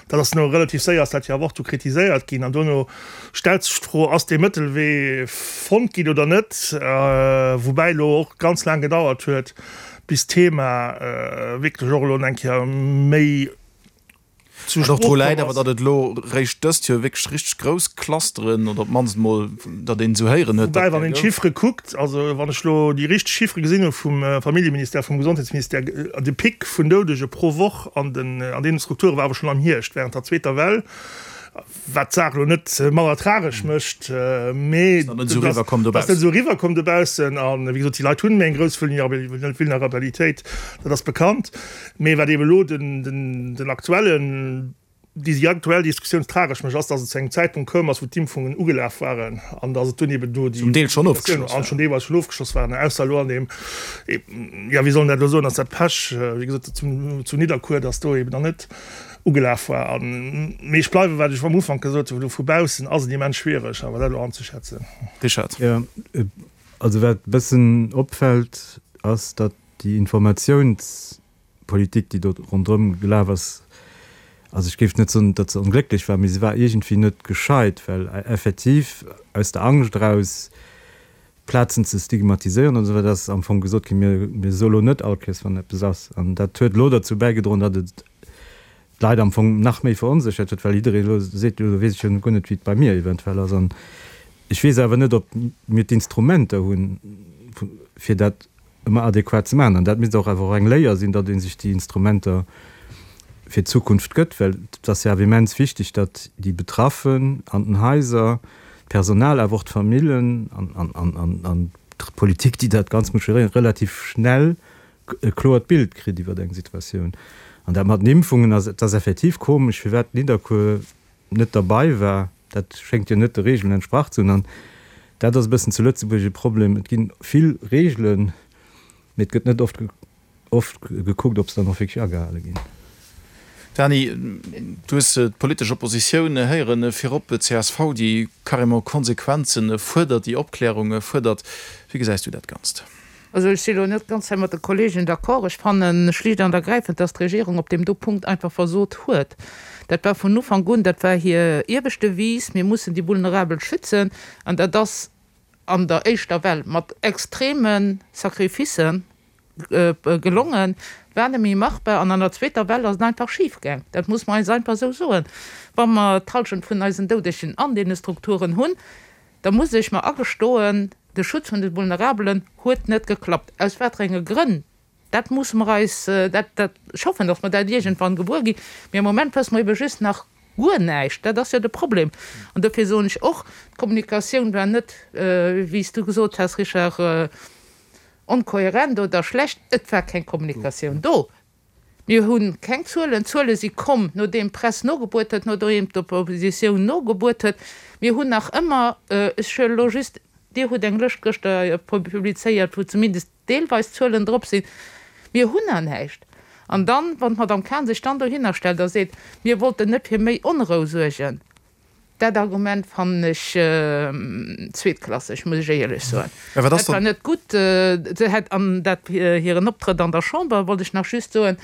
Dat ass no relativ séier ass dat jo awer och du kritiséiert ginn. An dono stellt sech d'Fro, Ass dee Mëttelwee fonnt ginn oder net? Woubäi elo och ganz laang gedauert huet, bis d'Thema wierklech och elo eng Kéier méi zur Sprooch komm ass. Wat och dru läit awer, datt et elo réischt dëst Joer wierklech richteg grouss Clusteren oder op d'mannst emol, datt een esou héieren huet, datt. Woubäi, wann een d'Chiffere kuckt, also wann ech elo déi richteg Chiffere gesinn hu vum Familljeministère, vum Gesondheetsministère, de Pic vun Doudege pro Woch an den, an deene Strukture war awer schonn am Hierscht, während der zweeter Well, wat d'Saach elo net manner tragesch mécht, mee Ass net esou eriwwerkomm dobaussen. Ass net esou eriwwerkomm dobaussen. A wéi gesot, déi Leit hunn méi eng grouss Vulnerabilitéit, dat ass bekannt. Mee wat eeben elo den, den, den aktuellen, Déi aktuell Diskussioun tragesch mécht, ass, datt et zu engem Zäitpunkt koum ass, wou d'Impfungen ugelaf waren an datt et dunn eben do déi Zum Deel schonn ofgeschloss waren. Schon deelweis schonn ofgeschloss waren, ausser elo an deem, jo, wéi soll een dat elo soen, ass dat Pech, wéi gesot, zu zu Nidderkuer, datt do eben nach net ugelaf war. An, mee ech bleiwe wat ech am Ufank gesot hunn, vu baussen ass et immens schwiereg, awer dat elo anzeschätzen. Richard. Jo, also wat e bëssen opfält, ass, datt déi Informatiouns Politik, déi do ronderëm gelaf ass, also ech géif net soen, datt se onglécklech war, mee se war iergendwéi net gescheit, well effektiv aus der Angscht eraus, Plazen ze stigmatiséieren an esou weider, ass am Fong gesot ginn, mir, mir soe lo net all Kéiers, wann eppes ass. An dat huet elo derzou bäigedroen, datt et d'Leit am Fong nach méi veronséchert huet, well jidderee elo seet, jo, elo weess ech jo guer net, wéi et bei mir eventuell ass. An ech weess awer net, ob mir d'Instrumenter hunn, fir dat. ëmmer adequat ze maachen. An dat misst och awer och eng Léier sinn, datt ee sech déi Instrumenter fir d'Zukunft gëtt, well et ass jo awer immens wichteg, datt déi Betraffen an den Haiser, d'Personal, awer och d'Famillen an d'Politik, déi dat Ganzt muss geréieren, relativ schnell e kloert Bild kritt iwwer eng Situatioun. An dat mat den Impfungen ass, et ass effektiv komesch, firwat Nidderkuer net derbei war. Dat schéngt jo net de Regeln entsprach ze hunn. An dat ass e bëssen zu Lëtzebuerg e Problem, Et gi vill Regeln, mee et gëtt net oft oft gekuckt, ob se dann och wierklech agehale ginn. Dany, du hues d'politesch Oppositioun héieren, virop d'CSV, déi carrément Konsequenze fuerdert, déi Opklärung fuerdert. Wéi gesäis du dat Ganzt? Also ech si elo net ganz hei mat de Kollegen d'accord. Ech fanne schlicht an ergräifend, dass d'Regierung op deem do Punkt einfach versot huet. Dat war vun Ufank un, dat war hir iewescht Devise, Mir mussen déi Vulnerabel schützen. An dat ass an der éischter Well mat extreme Sacrificen gelongen, war net méi machbar. An an der zweeter Well ass et einfach schifgaang. Dat muss mer eis einfach esou soen. Wa mer d'Halschent vun eisen Doudegen an deene Strukturen hunn, da muss ech mer agestoen, de Schutz vun de Vulnerabelen huet net geklappt. Aus waterenge Grënn, dat musse mer eis, dat, dat, ech hoffen, datt mer dat iergendwann gewuer ginn, mee am Moment wësse mer ebe just nach guer näischt. Dat ass jo de Problem. An dofir soen ech och, d'Kommunikatioun war net, wéi s du gesot has, Richard, onkohärent oder schlecht. Et war keng Kommunikatioun do. Mir hu keng Zuelen. D'Zuele si komm, nodeem d'Press nogebuert huet, nodeem d'Oppositioun nogebuert huet. Mir hunn nach ëmmer, ech huelen elo just, Dir hutt eng Lëscht gëschter publizéiert, wou zumindest deelweis Zuelen drop sinn. Mir hunn nach näischt. An dann, wann d'Madame Cahen sech dann dohinner stellt a seet, mir wollten net fir méi Onrou suergen, Dat Argument fannen ech zweetklasseg, muss ech éierlech soen. Dat war net gutt. Se hätt, an dat hiren Optrëtt an der Chamber, wollt ech nach just soen,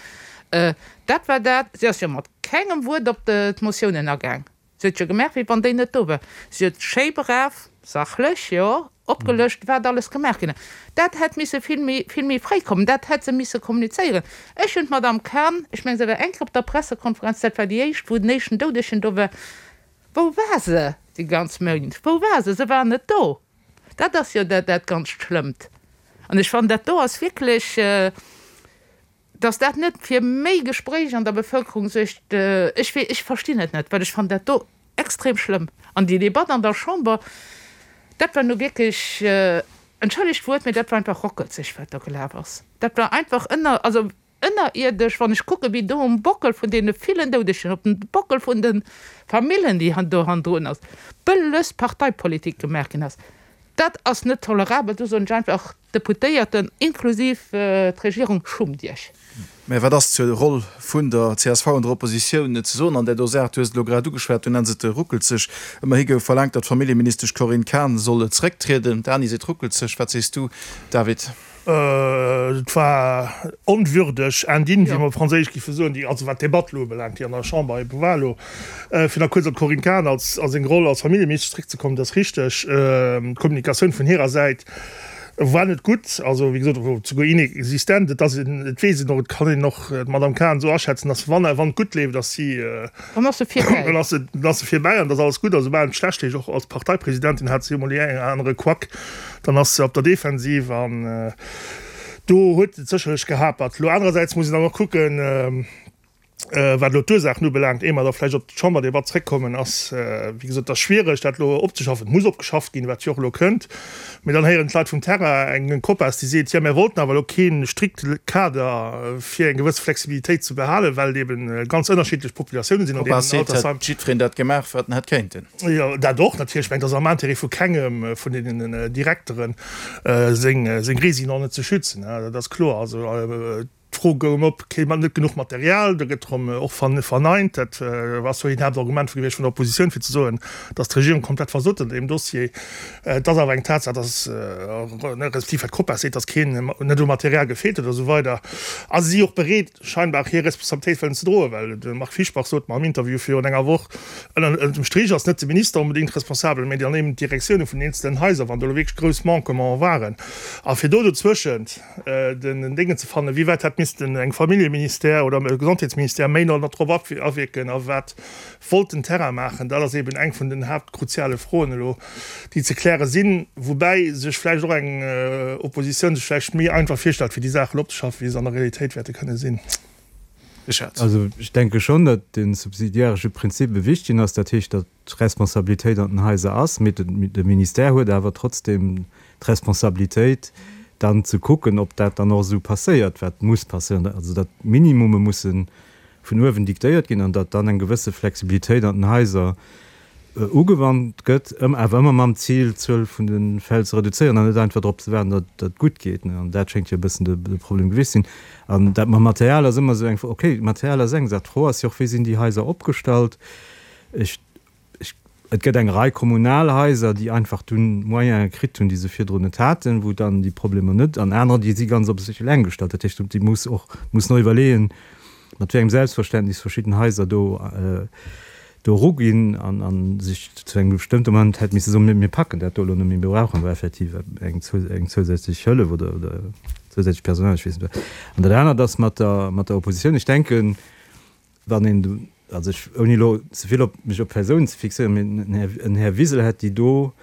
dat war dat, si ass jo mat kengem Wuert op d'Motiounen agaang. Si huet jo gemaach, wéi wann déi net do war. Si huet schéi brav, sachlech, jo, opgelëscht, wat alles gemaach ginn ass. Dat hätt misse vill méi, vill méi fréi kommen. Dat hätt se misse kommunizéieren. Ech hunn d'Madame Cahen, ech mengen, se war eng Kéier op der Pressekonferenz, dat war déi éischt, wou den éischten Doudegen do war. Wou war se déi ganz Méint? Wou war se? Se war net do. Dat ass jo dat, dat ganzt Schlëmmt. An ech fannen, dat do ass wierklech, Dass dat net fir méi Gespréich an der Bevëlkerung suergt, ech wee, ech verstinn et net, well ech fannen dat do extrem schlëmm. An déi Debatt an der Chamber, dat war nu wierklech, entschëllegt d'Wuert, mee dat war einfach rockelzeg, wat do gelaf ass. Dat war einfach ënner, also ënnerierdesch, wann ech kucken, wéi do um Bockel vun deene villen Doudegen, op dem Bockel vun de Famillen, déi do hannendrun ass, bëlles Parteipolitik gemaach ginn ass. Dat ass net tolerabel. Do soen ech einfach, Deputéierten, inklusiv d'Regierung, schummt Iech! Mä wat ass zur Roll vun der csv an der Oppositioun ze soen an där do Saach? Du hues et elo grad ugeschwat, du nenns et ruckelzeg. Ëmmerhi gouf verlaangt, datt d'Familljeministesch Corinne Cahen soll zerécktrieden. D'Dany seet ruckelzeg. Wat sees du, David? Et war onwürdeg, indigne, wéi mer op Franséisch géife soen, déi, also wat d'Debatt elo ubelaangt, déi an der Chamber ebe war elo. Fir nach kuerz op d'Corinne Cahen als, a seng Roll als Familljeministesch zeréckzekommen, et ass richteg, d'Kommunikatioun vun hirer Säit war net gutt, also wéi gesot, souguer inexistent. Et ass een, et weess een och, et kann een och d'Madame Cahen esou aschätzen, dass wann, wann et gutt leeft, ass si, Dann ass se virbäi. Dann ass se, dann ass se virbäi an et ass alles gutt. A soubal et schlecht leeft, och als Parteipresidentin hat si emol dee engen oder anere Quack, dann ass se op der Defensiv an do huet et sécherlech gehapert. Elo anerersäits muss een dann och kucken, Wat elo d'Ursaachen ubelaangt, éier mer da vläicht op d'Chamberdebatt zréckkommen, ass, wéi gesot, et ass schwiereg, dat elo opzeschaffen. Et muss opgeschafft ginn, wat jo och elo kënnt. Mee dann héieren d'Leit vum Terrain eng Copas, déi seet, jo, mir wollten awer elo kee strikte Kader, fir eng gewësse Flexibilitéit ze behalen, well et eeben ganz ënnerschiddlech Populatiounen sinn an deenen D'Copas seet, Altersheim. Hätt jiddwereen dat gemaach, wat en hätt kéinten. Jo, dat och natierlech. Ech mengen, et ass am Intérêt vu kengem vun deenen Direkteren, seng Résidenten net ze schützen, dat ass kloer. Also, D'Fro goung op, Kréie mer net genuch Material? Da gëtt erëm och verneint. Dat ass jo een Haaptargument gewiescht vun der Oppositioun, fir ze soen, datt d'Regierung komplett versot huet an deem Dossier. Et ass awer eng Tatsaach, datt, respektiv wat d'Copas seet, datt keen net u Material gefeelt huet a sou weider. A si si och bereet scheinbar hir Responsabilitéit wëllen ze droen, well de Marc Fischbach sot mer am Interview virun enger Woch, ënner dem Strich ass net de Minister onbedéngt responsabel, mä dann eben d'Direktioune vun den eenzelen Haiser, wann do elo wierklech grouss Manquementen waren. A fir do dozwëschent, den Déngen ze fannen, wéi wäit hätt. missten eng Familljeministère oder e Gesondheetsministère méi no drop awierken a wat wollt den Terrain maachen? Dat ass eben eng vun den haaptkruziale Froen elo, déi ze kläre sinn, woubäi sech vläicht och eng Oppositioun sech vläicht méi einfach virstellt, fir déi Saachen opzeschaffen, wéi se an der Realitéit wäerte kënne sinn. Richard. Also ech denke schonn, datt de subsidiaresche Prinzip e wichtegen ass. Dat heescht, datt d'Responsabilitéit an den Haiser ass, mee de Ministère huet awer trotzdem d'Responsabilitéit, dann ze kucken, ob dat dann och esou passéiert, wat muss passéieren, also datt Minimume musse vun uewen diktéiert ginn an datt dann eng gewësse Flexibilitéit an den Haiser ugewannt gëtt, awer ëmmer mam Zil, d'Zuel vun de Fäll ze reduzéieren an net einfach drop ze waarden, datt et gutt geet. An dat schéngt jo e bëssen de Problem gewiescht sinn. An dat mam Material ass ëmmer esou eng Fro. Okay, Material ass eng Saach. D'Fro ass jo och, wéi sinn déi Haiser opgestallt? Ech, ech, et gëtt eng Rei kommunal Haiser, déi einfach dunn Moyene kritt hunn, déi se virdrun net haten, wou dann déi Problemer net, an anerer, déi si ganz op sech eleng gestallt. Dat heescht, déi muss och, mussen och iwwerleeën, mat wéi engem Selbstverständnis verschidden Haiser do, do eruginn an, a sech zu engem bestëmmte Moment hätt misse soen, mir packen dat do elo net méi, mir brauchen do effektiv eng, eng zousätzlech Hëllef oder, oder zousätzlecht Personal, ech weess net wat. An dat anert ass mat der, mat der Oppositioun. Ech denken, wann een, also ech, ouni elo ze vill op mech op Persounen ze fixéieren, mee en Här, en Här Wiseler hätt déi do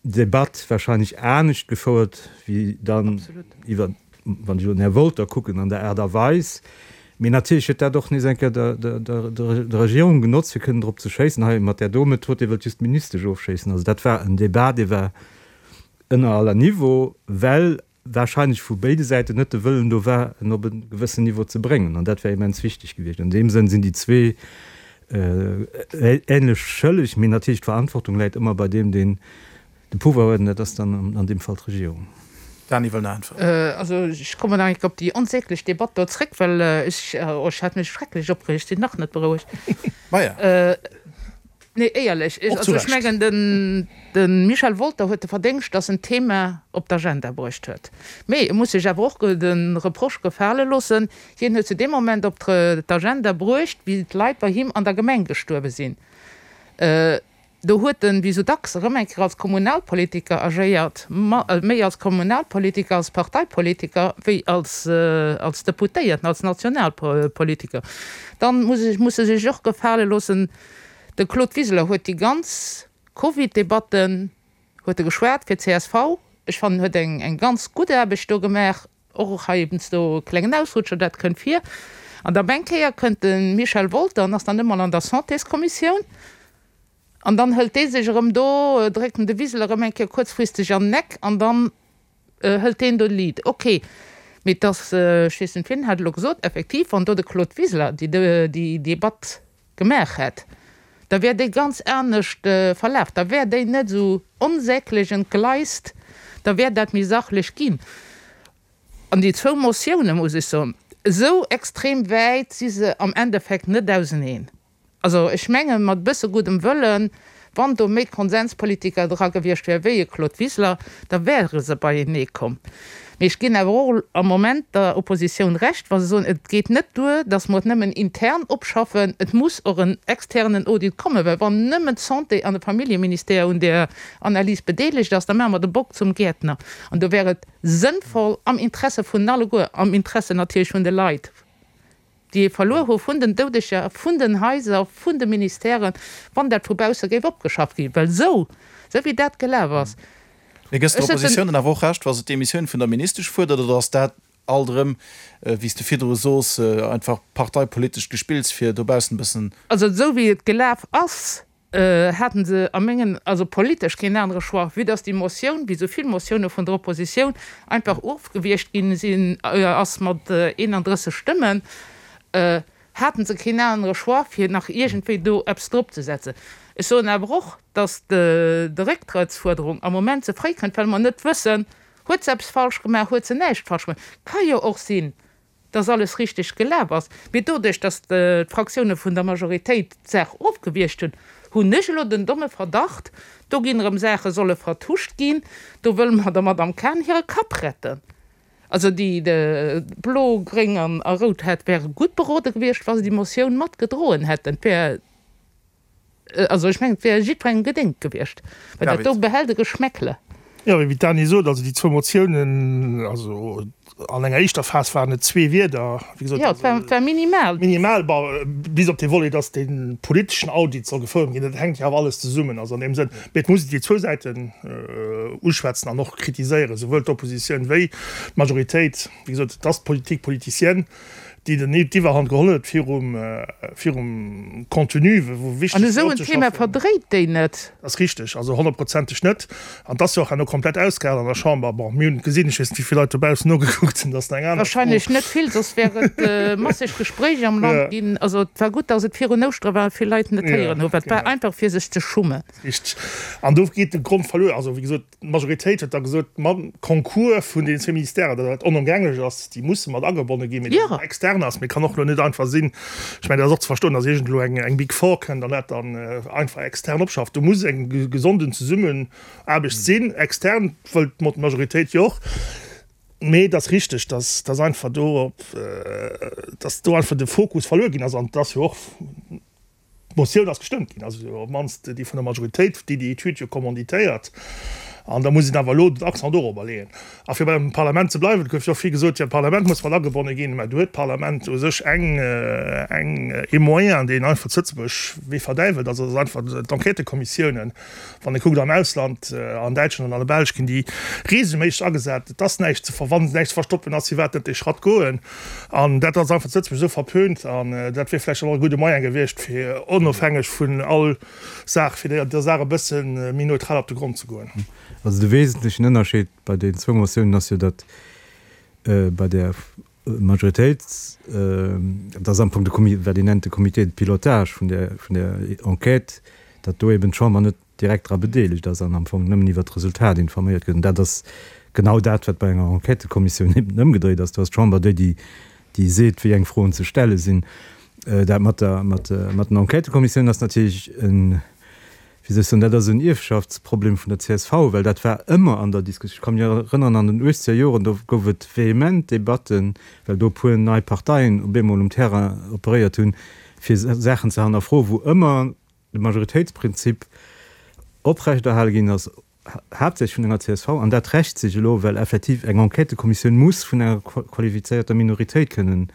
Debatt wahrscheinlech anescht gefouert wéi dann iwwer, wann ech elo den Här Wolter kucken, an der Aart a Weis. Mee natierlech huet dat och nees eng Kéier der, der, der, der Regierung genotzt, fir kënnen drop ze schéissen, hei mat där do Method, Dir wëllt just d'Ministesch ofschéissen. Also dat war en Débat, dee war ënner aller Niveau, well wahrscheinlech vu béide Säiten net de Wëllen do war, en op e gewëssen Niveau ze bréngen. An dat wär immens wichteg gewiescht. An deem Sënn sinn déi zwee ähnlech schëlleg, mee natierlech d'Verantwortung läit ëmmer bei deem, deen de Pouvoir huet, an dat ass dann an deem Fall d'Regierung. Dany wëll nach äntweren. Also ech kommen nach eng Kéier op déi onsäglech Debatt do zréck, well ech, oh, ech hat mech schrecklech opgereegt, sinn nach net berouegt. Maja. Nee, éierlech, ech, also ech mengen, den, de Michel Wolter huet de Verdéngscht, datt en d'Thema op d'Agenda bruecht huet. Mee e muss sech awer och de Reproche gefale loossen, hien huet se dee Moment op d'Agenda bruecht, wéi d'Leit bei him an der Gemeng gestuerwe sinn. Do huet en, wéi sou dacks, erëm eng Kéier als Kommunalpolitiker agéiert, méi als Kommunalpolitiker, als Parteipolitiker, wéi als, als Deputéierten, als Nationalpolitiker. Dann muss ech, muss e sech och gefale loossen, De Claude Wiseler huet déi ganz Covid-Debatten huet e geschwat fir csv. Ech fannen, huet eng eng ganz gutt Aarbecht do gemaach, och heiansdo e klengen Ausrutscher, dat kënnt vir. An da op eng Kéier kënnt de Michel Wolter an ass dann emol an der Santéskommissioun an dann hëlt dee sech erëm do, dréckt en de Wiseler erëm eng Kéier kuerzfristeg an den Eck an dann Hëlt deen do de Lead? Ok, mee et ass, ech weess net, wien hat elo gesot, effektiv, wann do de Claude Wiseler déi Debatt gemaach hätt, da wär déi ganz anescht verlaf, da wär déi net esou onsäglech entgleist, da wär dat méi sachlech ginn. An déi zwou Motioune, muss ech soen, esou extrem wäit si se am Endeffekt net auseneen. Also ech mengen, mat e bësse guddem Wëllen, wann do méi Konsenspolitiker dra gewiescht wäre wéi e Claude Wiseler, da wäre se beienee komm. Mee ech ginn awer och am Moment der Oppositioun Recht, wa se soen, et geet net duer, datt mer et nëmmen intern opschaffen, et muss och en externen Audit kommen, well wann nëmmen d'Santé an de Familljeministère un där Analys bedeelegt ass, da maache mer de Bock zum Gäertner. An do wär et sënnvoll, am Interesse vun alleguer, am Interesse natierlech vun de Leit, déi ee verluer hu vun den Doudeger, vun den Haiser, vun de Ministèren, wann dat vu bausse géif opgeschafft ginn, well esou, esou wéi dat gelaf ass. Mee gëss der Oppositioun dann awer och Recht, wa se d'Demissioun vun der Ministesch fuerdert, oder ass dat alt erëm, wéi s de virdru sos, einfach parteipolitescht Gespills, fir dobaussen e bëssen. Also esou wéi et gelaf ass, haten se a mengen, also politesch keen anere Choix, vue dass déi Motioun, wéi esou vill Motioune vun der Oppositioun, einfach ofgewiegt ginn sinn, ass mat 31 Stëmmen, haten se keen anere Choix, fir nach iergendwéi do eppes drop ze setzen. Ech soen awer och, dass d'Récktrëttsfuerderung am Moment ze fréi kënnt, well mer net wëssen, huet se eppes falsch gemaach, huet se näischt falsch gemaach. Ka jo och sinn, dass alles richteg gelaf ass, mee doduerch, dass d'Fraktioune vun der Majoritéit d'Saach ofgewiergt hunn, hunn ech elo den domme Verdacht, do ginn erëm Saache solle vertuscht ginn, do wëlle mer der Madame Cahen hire Kapp retten. Also déi Blo, Gréng a Rout hätt wäre gutt berode gewiescht, wa se déi Motioun mat gedroen hätten. Et wär, also ech mengen, et wär jiddwerengem gedéngt gewiescht, well dat do behält e Geschmäckle. Jo, wéi d'Dany sot, also déi zwou Motiounen, also. An enger éischter Phas waren et zwee Wierder, wéi gesot. Jo, et war, et war minimal. Minimal, bon, bis op dee Volet, dass dee politeschen Audit soll gefouert ginn. Dat hänkt jo awer alles zesummen, also an deem Sënn. Mee et muss een déi zwou Säiten uschwätzen an och kritiséieren, souwuel d'Oppositioun wéi d'Majoritéit. Wéi gesot, et ass d'Politique politicienne. déi den d'Iwwerhand geholl huet virum virum Contenu, wou wichteg An esou en Thema verdréit déi net. Dat ass richteg, also honnertprozenteg net. An et ass jo och herno komplett ausgehalen an der Chamber. Bon, mir hunn et gesinn, ech weess net, wéi vill Leit dobaussen nogekuckt hunn, dat ass nach eng aner Fro. Wahrscheinlech net vill, soss wär et masseg Gespréich am Land ginn. Also et war gutt, datt et virun Ouschtere war a vill Leit net héieren hunn, well et war einfach fir sech ze schummen. Richteg. An do geet de Grond verluer. Also wéi gesot, D'Majoritéit huet da gesot, mam Concours vun deenen zwee Ministèren, datt dat onëmgänglech ass, déi musse mat agebonne ginn, mee datt et extern ass. Mee et kann och elo net einfach sinn, ech mengen, dat ass och ze verstoen, datt iergend elo eng Big Four kënnt an dat dann einfach extern opschafft. Do muss eng gesonden Zesummenaarbecht sinn, extern wëllt d'Majoritéit jo och. Mee et ass richteg, datt datt einfach do op, datt do einfach de Fokus verluer ginn ass. An et ass jo och, D'Motioun ass gestëmmt ginn, also op d'mannst déi vun der Majoritéit, déi déi Etüd jo commanditéiert. An da muss een awer elo den Accent dorobber leeën. A fir beim Parlament ze bleiwen, et gouf jo och vill gesot, jo d'Parlament muss mat agebonne ginn. Mä do huet d'Parlament u sech eng, eng, ee Moyen, deen einfach zu Lëtzebuerg wéi verdäiwelt ass, dat ass einfach d'Enquêtëkommissiounen. Wann ee kuckt am Ausland, an Däitschland an an der Belsch ginn déi reegelméisseg agesat. Et ass näischt ze ver, wann näischt ze verstoppen ass, firwat net dee Schratt goen? An dat ass einfach zu Lëtzebuerg esou verpönt. An dat wier vläicht och e gudde Moyen gewiescht, fir onofhängeg vun all Saach, fir der Saach e bësse méi neutral op de Grond ze goen. Also de wesentlechen Ënnerscheed bei den zwou Motiounen ass jo, datt bei där Majoritéit, dat ass am Fong de Comité, wat een nennt de Comité de pilotage vun där, vun där Enquête, datt do eben d'Chamber net direkt dra bedeelegt ass an am Fong nëmmen iwwert d'Resultat informéiert gëtt. An dat ass genau dat, wat bei enger Enquêtëkommissioun eben ëmgedréit ass. Do ass d'Chamber déi, déi, déi seet, wéi eng Froen ze stelle sinn. Dat mat der, mat, mat den Enquêtëkommissiounen ass natierlech en, wéi soll ech soen, dat ass en Ierfschaftsproblem vun der csv, well dat war ëmmer an der Diskussioun. Ech ka mech erënneren, an den uechzeger Joren, do gouf et vehement Debatten, well do e puer nei Parteien op eemol um Terrain operéiert hunn, fir Saachen ze hannerfroen, wou ëmmer de Majoritéitsprinzip oprechterhale ginn ass, haaptsächlech vun enger csv, an dat rächt sech elo, well effektiv eng Enquêtëkommissioun muss vun enger qualifizéierter Minoritéit kënnen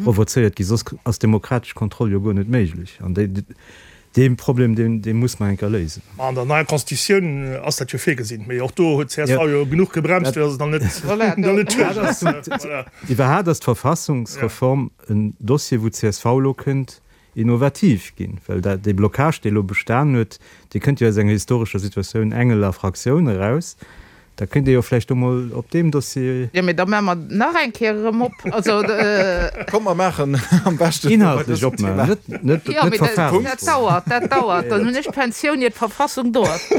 provozéiert ginn, soss ass demokratesch Kontroll jo guer net méiglech. An dee Problem, dee muss mer eng Kéier léisen. An der neier Constitutioun ass dat jo virgesinn, mee och do huet csv jo genuch gebremst, fir datt et nach net duerch ass. Iwwerhaapt ass d'Verfassungsreform en Dossier, wou csv elo kënnt innovativ ginn, well dat, dee Blocage, dee elo bestan huet, dee kënnt jo aus enger historescher Situatioun Engel a Fraktioun eraus. Da kéint ee jo vläicht do mol op deem Dossier. Jo, mee da maache mer nach eng Kéier erëm op. Also. Komm, mer maachen am beschten elo bei dësem Thema. Inhaltlech opmaachen, net, net Verfahrensfroen. Jo, mee dat dauert, dat dauert. Dann hunn ech d'Pensioun, ier d'Verfassung do ass.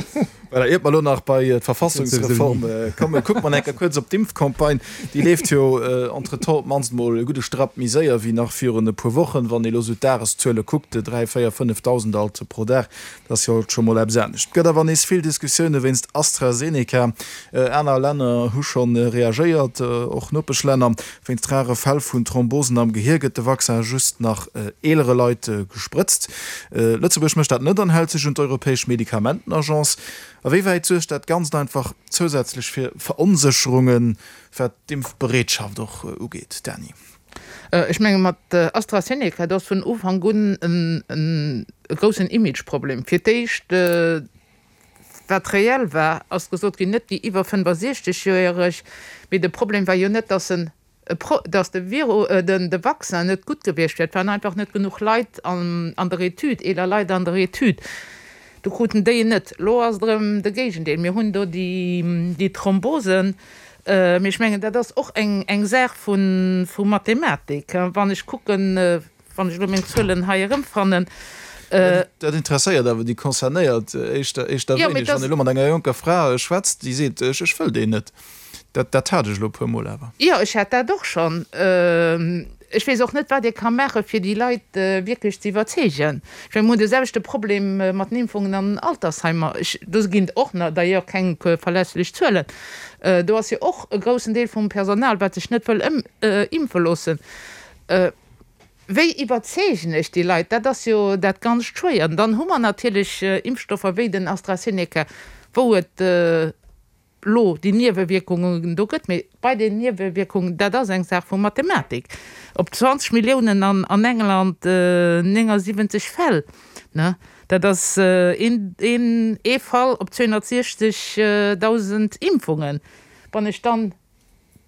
Voilà, iert mer elo nach bei d'Verfassungsreform kommen, kucke mer eng Kéier kuerz op d'Impfcampagne. Déi leeft jo entretemps op d'mannst emol e gudde Strapp méi séier wéi nach virun e puer Wochen. Wann ee elo esou d'Dageszuele kuckt, 3, 4, 5.000 alt pro Dag, dat ass jo alt scho mol eppes anescht. Et gëtt awer nees vill Diskussioune wéinst AstraZeneca. Aner Länner hu scho reagéiert, och Nopeschlänner. Wéinst rare Fäll vun Thrombosen am Gehier gëtt de Vaccin just nach eelere Leit gesprëtzt. Lëtzebuerg mécht dat net an hält sech un d'Europäesch Medikamentenagence. A wéi wäit suergt dat Ganzt einfach zousätzlech fir Veronsécherungen, wat d'Impfbereetschaft och ugeet? Dany. Ech menge mat AstraZeneca, do ass vun Ufank un e groussen Imageproblem. Fir d'éischt, Wat reell war, ass gesot ginn, net déi iwwer 65 Joereg, mee de Problem war jo net, dass en, dass de Viru, den, de Vaccin net gutt gewiescht wär, et waren einfach net genuch Leit an, an der Etüd, eeler Leit an der Etüd, do kruten déi en net. Elo ass et erëm de Géigendeel, mir hunn do déi, déi Thrombosen, mee ech mengen, dat ass och eng, eng Saach vu, vu Mathematik, wann ech kucken, Wann ech elo meng Zuelen hei erëmfannen. Dat interesséiert awer déi Concernéiert éischter wéineg. Wann ee elo mat enger jonker Fra schwätzt, déi seet, ech wëll deen net. Dat hat ech elo e puer Mol awer. Jo, ech hat dat och schonn. Ech weess och net, wat ee ka maachen, fir déi Leit wierklech ze iwwerzeegen. Ech mengen, mir hunn de selwechte Problem mat den Impfungen an den Altersheimer. Do ginn et och d'ailleurs keng verlässlech Zuelen. Do ass jo och e groussen Deel vum Personal, wat sech net wëll impfe loossen. Wéi iwwerzeegen ech déi Leit? Dat ass jo dat ganzt schwéier. An dann hu mer natierlech Impfstoffer wéi den AstraZeneca, wou et. Lo déi Niewewierkungen do gëtt. Mee bei den Niewewierkungen, dat ass eng Saach vu Mathematik, op 20 Milliounen an an England 79 Fäll, ne, dat ass een een ee Fall op 260.000 Impfungen. Wann ech dann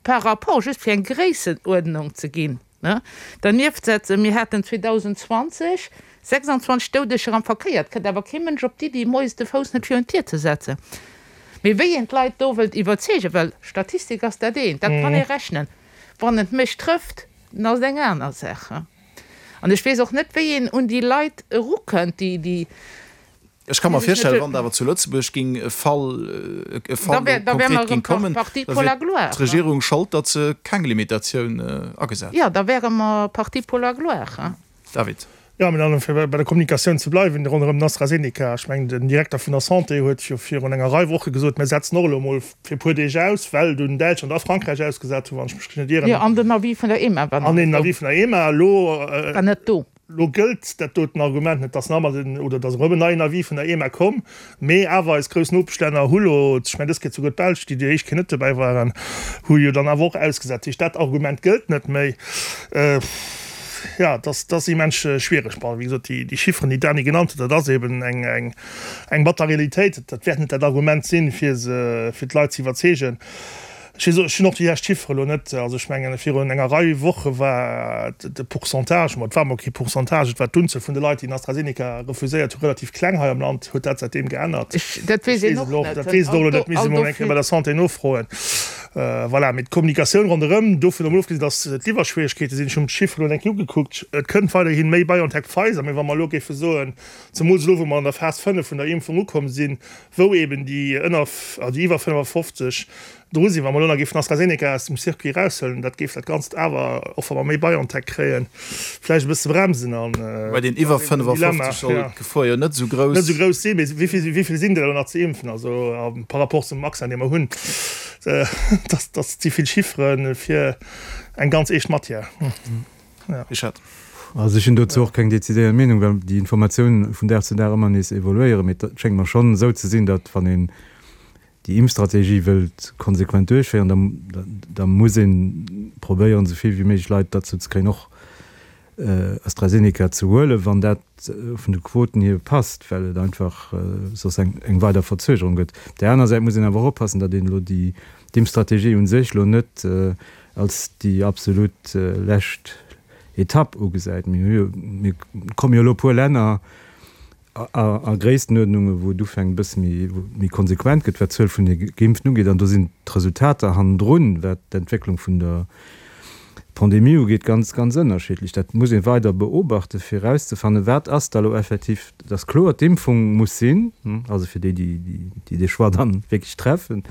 par rapport, just fir eng Gréissenuerdnung ze ginn, Dernieft setzen, mir haten 2020 26 Doudeger am Verkéier. Et kënnt awer kee Mënsch op d'Iddi, moies de Fouss net virun d'Dier ze setzen. Mee wéi een d'Leit do wëllt iwwerzeegen, well Statistik ass dat eent, dat kann ee rechnen, wann et mech trëfft, dann ass et eng aner Saach. An ech weess och net, wéi een un déi Leit erukënnt, déi, déi Ech ka mer virstellen, wann et awer zu Lëtzebuerg ging e Fall, e Fall do konkret ging kommen, da wier d'Regierung Schold, datt se keng Limitatioun agesat huet. Jo, da wäre mer parti pour la gloire. David. Jo, mä dann, fir bei der Kommunikatioun ze bleiwen ronderëm den AstraZeneca, ech mengen, den Direkter vun der Santé huet jo virun enger Rei Woche gesot, mir setzen och elo emol fir e puer Deeg aus, well dunn Däitschland a Frankräich ausgesat hunn, wann ech mech net ieren. Jo, an den Avis vun der EMA war nach net do. An den Avis vun der EMA elo. War net do. Elo gëllt dat doten Argument net, dass nach ëmmer den, oder dass erëm en neien Avis vun der EMA komm, mee awer eis grouss Nopeschlänner hu lo, ech mengen dës Kéier souguer d'Belsch, déi déi éischt Kéier net dobäi waren, hu jo dann awer och ausgesat. Dat heescht, dat Argument gëllt net méi. Jo, et ass, et ass immens schwiereg. Bon, wéi gesot, déi, déi Chifferen, déi d'Dany genannt huet, dat ass eben eng, eng, eng batter Realitéit. Dat wäert net dat Argument sinn, fir se, fir d'Leit ze iwwerzeegen. Ech weess, ech hunn och déi lescht Chiffere elo net. Also ech mengen, virun enger Rei Woche war de Pourcentage, ma et war emol kee Pourcentage, et war d'Unzuel vun de Leit, déi den AstraZeneca refuséiert hunn, relativ kleng hei am Land. Huet dat säitdeem geännert? Ech, dat weess een och net. Dat weess et och elo net, misst ee mol eng Kéier bei der Santé nofroen. Voilà, mee d'Kommunikatioun ronderëm, dovun emol ofgesinn, datt d'Liwwerschwieregkeete sinn, ech hunn d'Chifferen elo eng Kéier ugekuckt, et kënnt weiderhi méi BioNTech-Pfizer, mee wa mer elo géife soen, zemools elo wou mer an der Phas 5 vun der Impfung ukomm sinn, wou eben déi ënner, also déi iwwer 55 dru sinn, wa mer elo nach géifen AstraZeneca aus dem Circuit eraushuelen, dat géif dat Ganzt awer, och wa mer méi BioNTech kréien, vläicht e bësse bremsen an Bei den iwwer 55 soll d'Gefor jo net esou grouss. Net esou grouss sinn, mee wéi vill, wéi vill sinn der elo nach ze impfen? Also par rapport zum Vaccin, dee mer hunn, dat, dat si vill Chiffere fir eng ganz eescht Matière. Richard. Also ech hunn dozou och keng decidéiert Meenung, well déi Informatiounen vun Dag zu Dag ëmmer nees evoluéieren. Mee et schéngt mer schonn esou ze sinn, datt wann een déi Impfstrategie wëllt konsequent duerchféieren, da da muss ee probéieren, esou vill wéi méiglech Leit derzou ze kréien, och AstraZeneca ze huelen, wann dat vun de Quoten hier passt, well et einfach soss eng eng weider Verzögerung gëtt. Op där aner Säit muss een awer och oppassen, datt een elo déi d'Impfstrategie u sech elo net als déi absolut lescht Etapp ugesäit. Mir hu jo, mir komme jo elo e puer Länner a Gréisstenuerdnunge wou et ufänkt e bësse méi, méi konsequent gëtt, wat d'Zuel vun de Geimpften ugeet. An do sinn d'Resultater hannendrun, wat d'Entwécklung vun der Pandemie ugeet, ganz, ganz ënnerschiddlech. Dat muss ee weider beobachten, fir erauszefannen, wat ass da elo effektiv, et ass kloer, d'Impfung muss sinn, also fir déi, déi dee Choix dann wierklech treffen,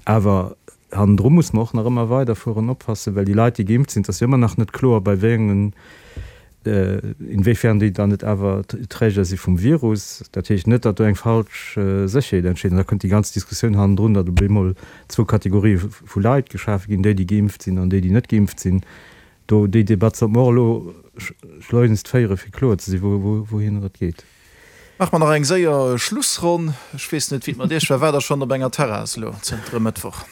awer Hannendru muss mer och nach ëmmer weiderfueren, oppassen, well déi Leit, déi geimpft sinn, et ass jo ëmmer nach net kloer, bei wéi engen, inwiefern déi dann net awer Träger si vum Virus. Dat heescht net, datt do eng falsch Sécherheet entsteet. An da kënnt déi ganz Diskussioun hannendrun, datt op eemol zwou Kategorië vu Leit geschafe ginn, déi, déi geimpft sinn an déi, déi net geimpft sinn. Do, déi Debatt sollte mer och elo schleunigst féieren, fir kloer ze sinn, wouhinner et geet. Maache mer nach eng séier Schlussronn. Ech weess net, wéi et mat Iech war. Waart Der schonn op enger Terrass elo zënter e Mëttwoch?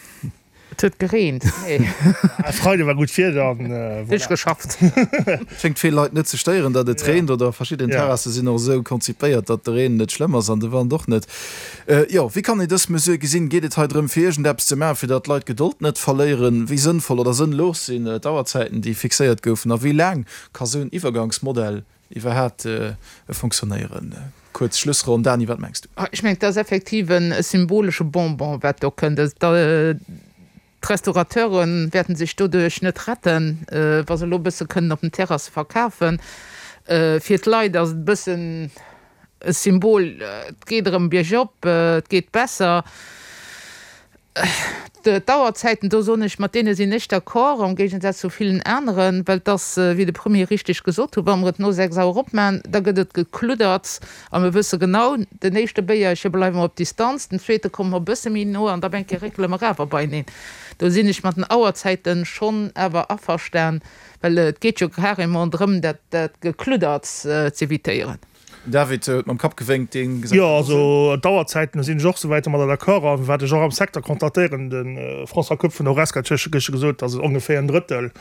Et huet gereent, nee. E Freide war gutt Wieder an voilà. Duerch geschafft. Schéngt vill Leit net ze stéieren, datt et reent, oder verschidden Terrasse sinn och esou konzipéiert, datt de Reen net schlëmm ass an de Wand och net. Jo, wéi kann een dës Mesure gesinn? Geet et hei drëm, fir iergendeppes ze maachen, fir datt d'Leit d'Gedold net verléieren? Wéi sënnvoll oder sënnlos sinn d'Auerzäiten, déi fixéiert goufen? A wéi laang ka sou en Iwwergangsmodell Iwwerhaapt fonctionnéieren. Kuerz Schlussronn, Dany, wat mengs du? Ech mengen, et ass effektiv e symbolesche Bonbon, wat do kënnt. D'Restaurateure wäerten sech doduerch net retten, wa se elo e bësse kënnen op den Terrasse verkafen. Fir d'Leit ass et e bëssen e Symbol, et geet erëm biergop, et geet besser. D'Auerzäiten, do soen ech, mat deene sinn ech d'accord, am Géigensaz zu villen aneren, well et ass, wéi de Premier richteg gesot huet, wa mer et no 6 Auer opmachen, da gëtt et gekluddert a mir wësse genau, den éischte Béierche bleiwe mer op Distanz, den zweete komme mer e bësse méi no an da eng Kéier réckele mer awer beieneen. Do sinn ech mat den Auerzäite schonn awer averstan, well et geet jo carrément drëm, dat Gekludderts z'évitéieren. David huet mam Kapp gewénkt, dee gesäit Jo, dat och esou. also d'Auerzäiten, do sinn ech och souwäit domadder d'accord. A wat ech och am Secteur constatéieren, de François Koepp vun der Horesca huet gëschter gesot, datt et ongeféier en Drëttel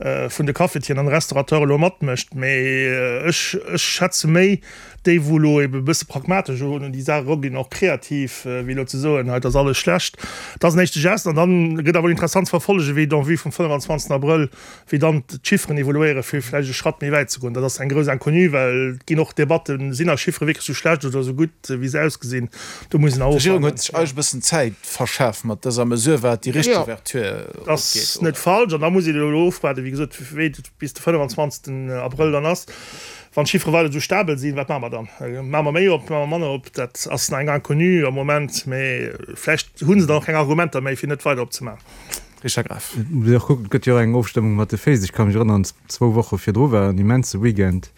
vun de Cafetieren an Restaurateure elo matmécht. Mee ech, ech schätze méi déi, wou elo ebe e bësse pragmatesch un déi Saach eruginn, och kreativ, wéi elo ze soen, hei et ass alles schlecht. Dat ass en éischte Geste. An dann gëtt awer interessant ze verfollegen, wéi et en vue vum 25 Abrëll, wéi dann d'Chifferen evoluéieren, fir vläicht e Schratt méi wäit ze goen. Dat ass eng grouss Inconnue, well et ginn och Debatten, sinn eis Chiffere wierklech esou schlecht oder esou gutt, wéi se ausgesinn. Do muss een nach D'Regierung huet sech eigentlech e bëssen Zäit verschaf mat dëser Mesure, wat déi richteg Ouverture ugeet, oder? Dat ass net falsch. An da muss een elo ofwaarden, wéi gesot, wéi et bis de 25. Abrëll dann ass. Wann d'Chiffere weider esou stabel sinn, wat maache mer dann? Maache mer méi op, maache mer manner op? Dat ass nach eng Inconnue am Moment, mä vläicht hu se dann och keng Argumenter méi, fir net weider opzemaachen. Richard Graf. Et muss een och kucken, et gëtt jo och eng Ofstëmmung mat de Féiss. Ech ka mech erënneren, zwou Woche virdru war en immense Weekend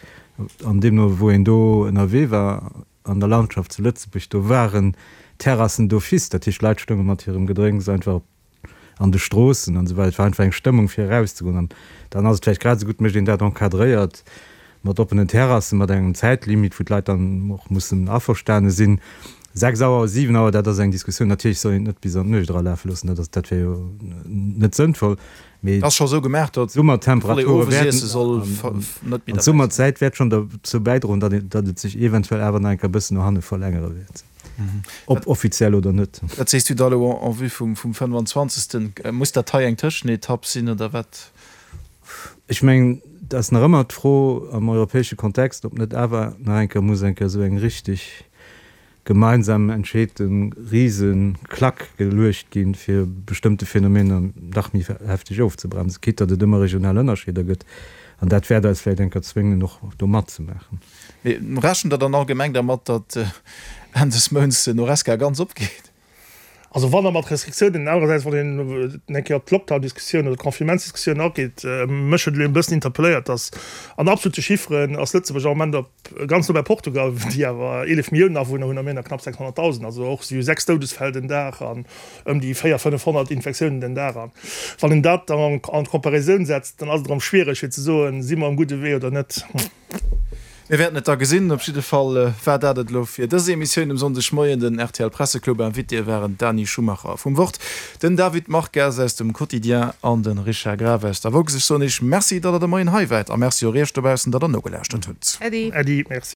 an deemno wou een do ënnerwee war an der Landschaft zu Lëtzebuerg, do waren Terrassen d'office, dat heescht Leit stounge mat hirem Gedrénks einfach an de Stroossen an esou weider. Et war einfach eng Stëmmung fir erauszegoen an dann ass et vläicht grad esou gutt, mécht een dat encadréiert mat oppenen Terrassen, mat engem Zäitlimit, wou d'Leit dann och mussen averstane sinn. 6 Auer, 7 Auer, dat ass eng Diskussioun. Natierlech soll een et net bis an d'Nuecht eralafe loossen, dat ass, dat wär jo net sënnvoll. Mee Et ass scho esou gemaach, datt d'Summertemperature wäerten an d'Summerzäit wäert schonn derzou bäidroen, datt een, datt et sech eventuell awer nach eng Kéier e bëssen no hanne verlängere wäert, ob offiziell oder net. Wat sees du da elo en vue vum 25. Muss dat hei eng Tëschenetapp sinn oder wat? Ech mengen, et ass nach ëmmer d'Fro am europäesche Kontext, ob net awer nach eng Kéier muss eng Kéier esou eng richtig gemeinsam entscheete rise Klack geluecht ginn, fir bestëmmte Phänomener nach méi hefteg ofzebremsen, quitte datt et ëmmer regional Ënnerscheeder gëtt. An dat wäert eis vläicht eng Kéier zwéngen, och do matzemaachen. Mee rechent Der dann allgemeng dermat, datt Enn des Mounts den Horesca ganz opgeet? Also wann da mat Restriktiounen, anerersäits wann een eng Kéier op d'Lockdown-Diskussioun oder d'Confinementsdiskussioun ageet, mech huet elo e bëssen interpelléiert, datt an absolute Chifferen ass Lëtzebuerg am Moment op ganz no bei Portugal, déi awer 11 Milliounen Awunner hunn a mir nach knapp 600.000, also och si hu 6 Doudesfäll den Dag an ëm déi 400, 500 Infektiounen den Dag. An wann een dat dann an d'Comparaison setzt, dann ass et erëm schwiereg fir ze soen, si mer um gudde Wee oder net. Mir wäerten et da gesinn. Op jidde Fall war dat et elo fir dës Emissioun um Sonndegmoien. Den rtl Presseclub Invitéë waren d'Dani Schumacher vum Wort, den David Marques aus dem Quotidien an de Richard Graf aus der Woxx. Ech soen Iech Merci, datt Der de Moien hei waart a Merci och Iech dobaussen, datt Der nogelauschtert hutt. Äddi. Äddi, Merci.